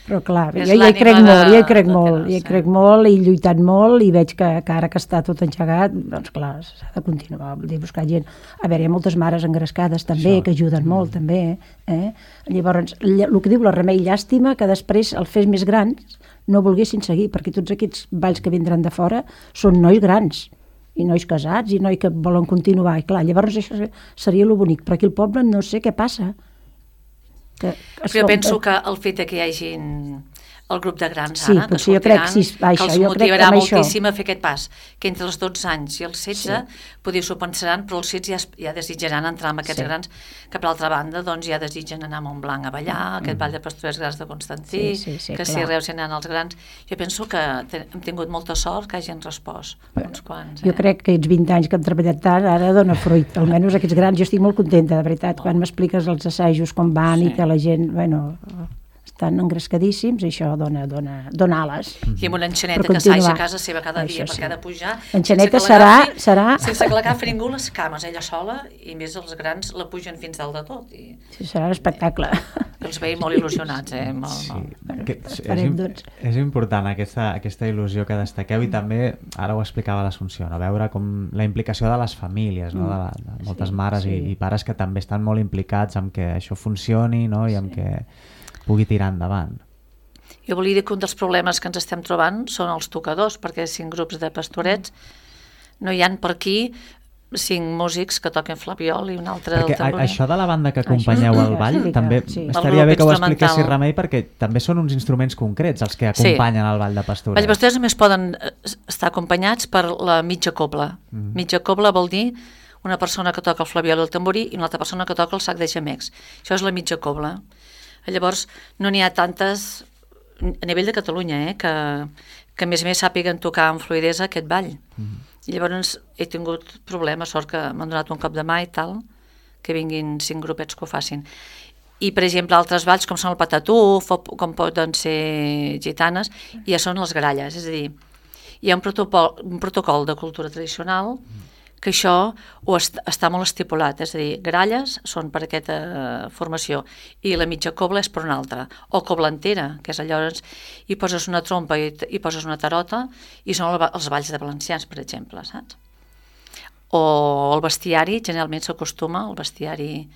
Però clar, jo, jo hi crec de, molt, jo hi crec molt, hi crec molt, he lluitat molt i veig que, que ara que està tot engegat, doncs clar, s'ha de continuar, vull dir, buscar gent. A veure, hi ha moltes mares engrescades també, Això. que ajuden molt mm. també, eh? Llavors, el que diu la Remei, llàstima que després el fes més grans no volguessin seguir, perquè tots aquests balls que vindran de fora són nois grans, i nois casats, i nois que volen continuar, i clar, llavors això seria lo bonic, però aquí al poble no sé què passa. Que, però jo penso que el fet que hi hagi el grup de grans sí, ara, que sortiran, crec, sí, va, que els això, motivarà crec moltíssim a fer aquest pas, que entre els dotze anys i els setze sí. poder s'ho pensaran, però els setze ja, ja desitjaran entrar amb aquests sí. grans, que per altra banda doncs, ja desitgen anar a Montblanc a ballar, mm. aquest ball de Pastorets Grans de Constantí, sí, sí, sí, que clar. Si Reus hi anen els grans. Jo penso que hem tingut molta sort que hagin respost uns quants. Eh? Jo crec que aquests vint anys que hem treballat tant ara dona fruit, almenys aquests grans, jo estic molt contenta, de veritat, quan m'expliques els assajos com van sí. i que la gent, bueno... estan engrescadíssims i això dona, dona, dona ales. I amb una enxaneta que s'aixa a casa seva cada dia, sí. perquè ha de pujar. L'enxaneta serà, serà... Sense que l'agafi ningú les cames, ella sola, i més els grans la pugen fins dalt de tot. I... Sí, serà un espectacle. I els veiem molt il·lusionats, eh? Molt, sí. molt. Bueno, que, és, doncs. és important aquesta, aquesta il·lusió que destaqueu i també, ara ho explicava l'Assumpció, no? Veure com la implicació de les famílies, no? de, la, de moltes sí, mares sí. I, i pares que també estan molt implicats en que això funcioni, no? I en sí. que pugui tirar endavant. Jo volia dir que un dels problemes que ens estem trobant són els tocadors, perquè cinc grups de pastorets no hi han per aquí cinc músics que toquen flabiol i un altre perquè el tamborí. Això de la banda que acompanyeu al ball sí, també sí. estaria bé que ho expliquessis, Remei, perquè també són uns instruments concrets els que acompanyen sí. el ball de pastorets. Els pastorets només poden estar acompanyats per la mitja cobla. Mm. Mitja cobla vol dir una persona que toca el flabiol i el tamborí i una altra persona que toca el sac de gemecs. Això és la mitja cobla. Llavors, no n'hi ha tantes a nivell de Catalunya, eh, que, que a més a més sàpiguen tocar amb fluidesa aquest ball. Mm. I llavors he tingut problemes, sort que m'han donat un cop de mà i tal, que vinguin cinc grupets que ho facin. I, per exemple, altres balls, com són el patatúf, o com poden ser gitanes, ja són les gralles. És a dir, hi ha un protocol, un protocol de cultura tradicional que això ho est està molt estipulat. És a dir, gralles són per aquesta formació i la mitja cobla és per una altra. O cobla entera, que és allò, hi poses una trompa i, i poses una tarota, i són el, els balls de valencians, per exemple, saps? O el bestiari, generalment s'acostuma, el bestiari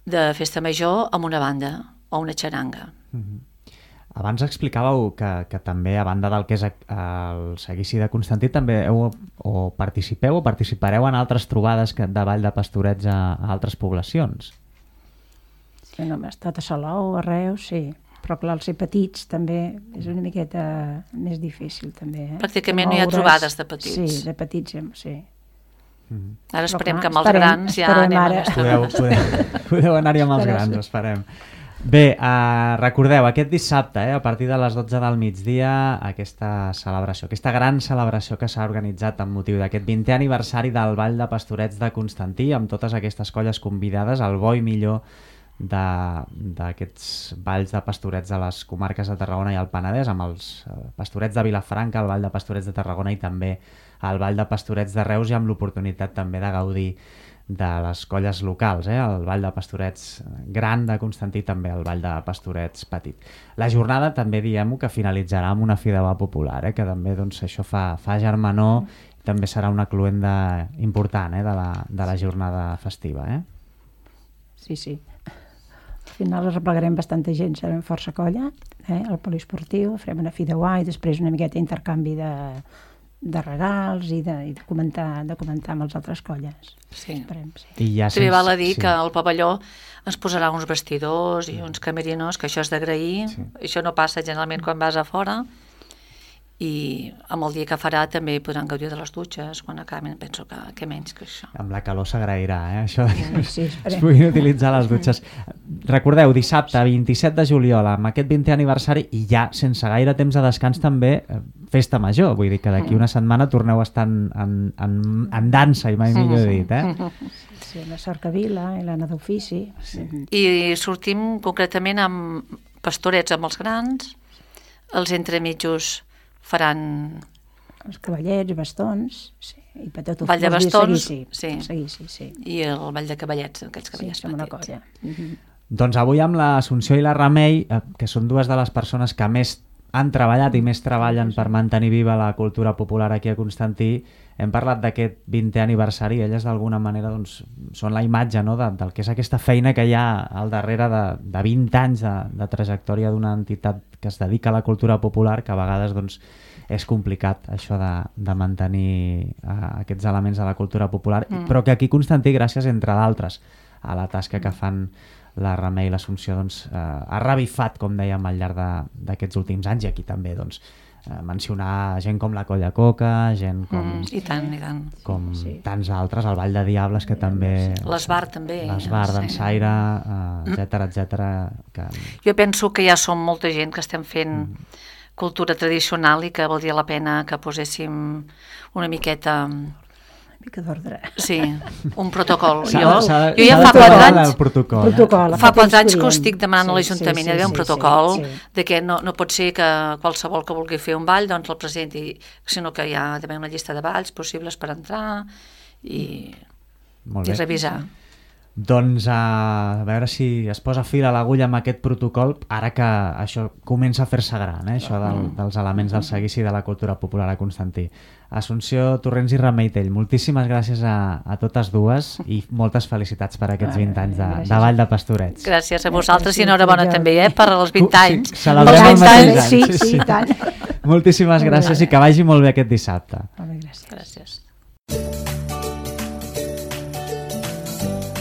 de festa major, amb una banda o una xaranga. Mm-hmm. Abans explicàveu que, que també, a banda del que és el seguici de Constantí, també heu, o participeu o participareu en altres trobades que, de ball de pastorets a, a altres poblacions. Sí, no, hem estat a Salou, a Reus, sí. Però clar, els ser petits també és una miqueta més difícil, també. Eh? Pràcticament no hi ha trobades de petits. Sí, de petits, sí. Mm-hmm. Ara esperem clar, que amb els esperem, grans ja anem ara. a podeu, podeu, podeu anar-hi amb els grans, sí. Esperem. Bé, uh, recordeu, aquest dissabte, eh, a partir de les dotze del migdia, aquesta celebració, aquesta gran celebració que s'ha organitzat amb motiu d'aquest vintè aniversari del Ball de Pastorets de Constantí, amb totes aquestes colles convidades, el bo i millor d'aquests balls de pastorets de les comarques de Tarragona i el Penedès, amb els pastorets de Vilafranca, el Ball de Pastorets de Tarragona i també el Ball de Pastorets de Reus, i amb l'oportunitat també de gaudir de les colles locals, eh? El Ball de Pastorets gran de Constantí, també el Ball de Pastorets petit. La jornada també diem-ho que finalitzarà amb una fideuà popular, eh? Que també doncs, això fa, fa germanor, i també serà una cluenda important, eh? de, la, de la jornada festiva. Eh? Sí, sí. Al final arreplegarem bastanta gent, serem força colla, eh? Al poliesportiu, farem una fideuà i després una miqueta intercanvi de, de regals i de, i de, comentar, de comentar amb les altres colles. Sí. Esperem, sí. I ja també sense... val a dir sí. que el pavelló ens posarà uns vestidors i uns camerinos, que això és d'agrair. Sí. Això no passa generalment quan vas a fora. I amb el dia que farà també podran gaudir de les dutxes quan acaben, penso que, que menys que això. Amb la calor s'agrairà, eh? Això de... sí, es puguin utilitzar les dutxes. Recordeu, dissabte vint-i-set de juliol, amb aquest vintè aniversari, i ja sense gaire temps de descans també, festa major, vull dir que d'aquí una setmana torneu a estar en, en, en, en dansa, i mai millor dit, eh? Sí, la Cercavila i l'Anna d'Ofici. Sí. I sortim concretament amb pastorets amb els grans, els entremitjos faran... Els cavallets, bastons, sí, i patatús. Ball de bastons, seguici, sí. Seguici, sí. I el ball de cavallets, aquells cavallets sí, som una petits. colla. Mm-hmm. Doncs avui amb l'Assumpció i la Remei, que són dues de les persones que més han treballat i més treballen per mantenir viva la cultura popular aquí a Constantí, hem parlat d'aquest vintè aniversari, i elles d'alguna manera doncs, són la imatge, no?, de, del que és aquesta feina que hi ha al darrere de, de vint anys de, de trajectòria d'una entitat que es dedica a la cultura popular, que a vegades doncs, és complicat això de, de mantenir uh, aquests elements de la cultura popular, mm. però que aquí Constantí, gràcies entre d'altres a la tasca que fan la Remei i l'Assumpció, doncs, uh, ha revifat, com dèiem, al llarg d'aquests últims anys, i aquí també doncs, uh, mencionar gent com la Colla Coca, gent com, mm, i tant, i tant. com sí. tants altres, el Ball de Diables, que també... L'Esbar també. L'Esbar d'en Saire, uh, etcètera, etcètera. Que... Jo penso que ja som molta gent que estem fent mm. cultura tradicional i que valdria la pena que poséssim una miqueta... Una mica d'ordre. Sí, un protocol. Jo, jo, de, jo ja fa quatre anys, protocol, protocol, fa quatre anys que ho estic demanant sí, a l'Ajuntament, sí, hi ha d'haver un sí, protocol sí, sí. de que no, no pot ser que qualsevol que vulgui fer un ball doncs el presenti, sinó que hi ha d'haver una llista de balls possibles per entrar i, i revisar. Doncs a veure si es posa fil a l'agulla amb aquest protocol, ara que això comença a fer-se gran, eh? Això del, dels elements del seguici de la cultura popular a Constantí. Assumpció Torrents i Remei Tell, moltíssimes gràcies a, a totes dues i moltes felicitats per aquests vint anys de, de Ball de Pastorets. Gràcies a vosaltres i enhorabona també, eh, per als vint anys. Sí, celebrem els anys. Sí, sí, sí, tant. Moltíssimes gràcies i que vagi molt bé aquest dissabte. Molt bé, gràcies. Gràcies.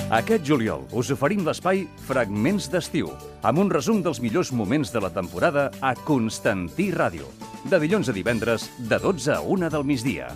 Aquest juliol us oferim l'espai Fragments d'estiu, amb un resum dels millors moments de la temporada a Constantí Ràdio, de dilluns a divendres, de dotze a una del migdia.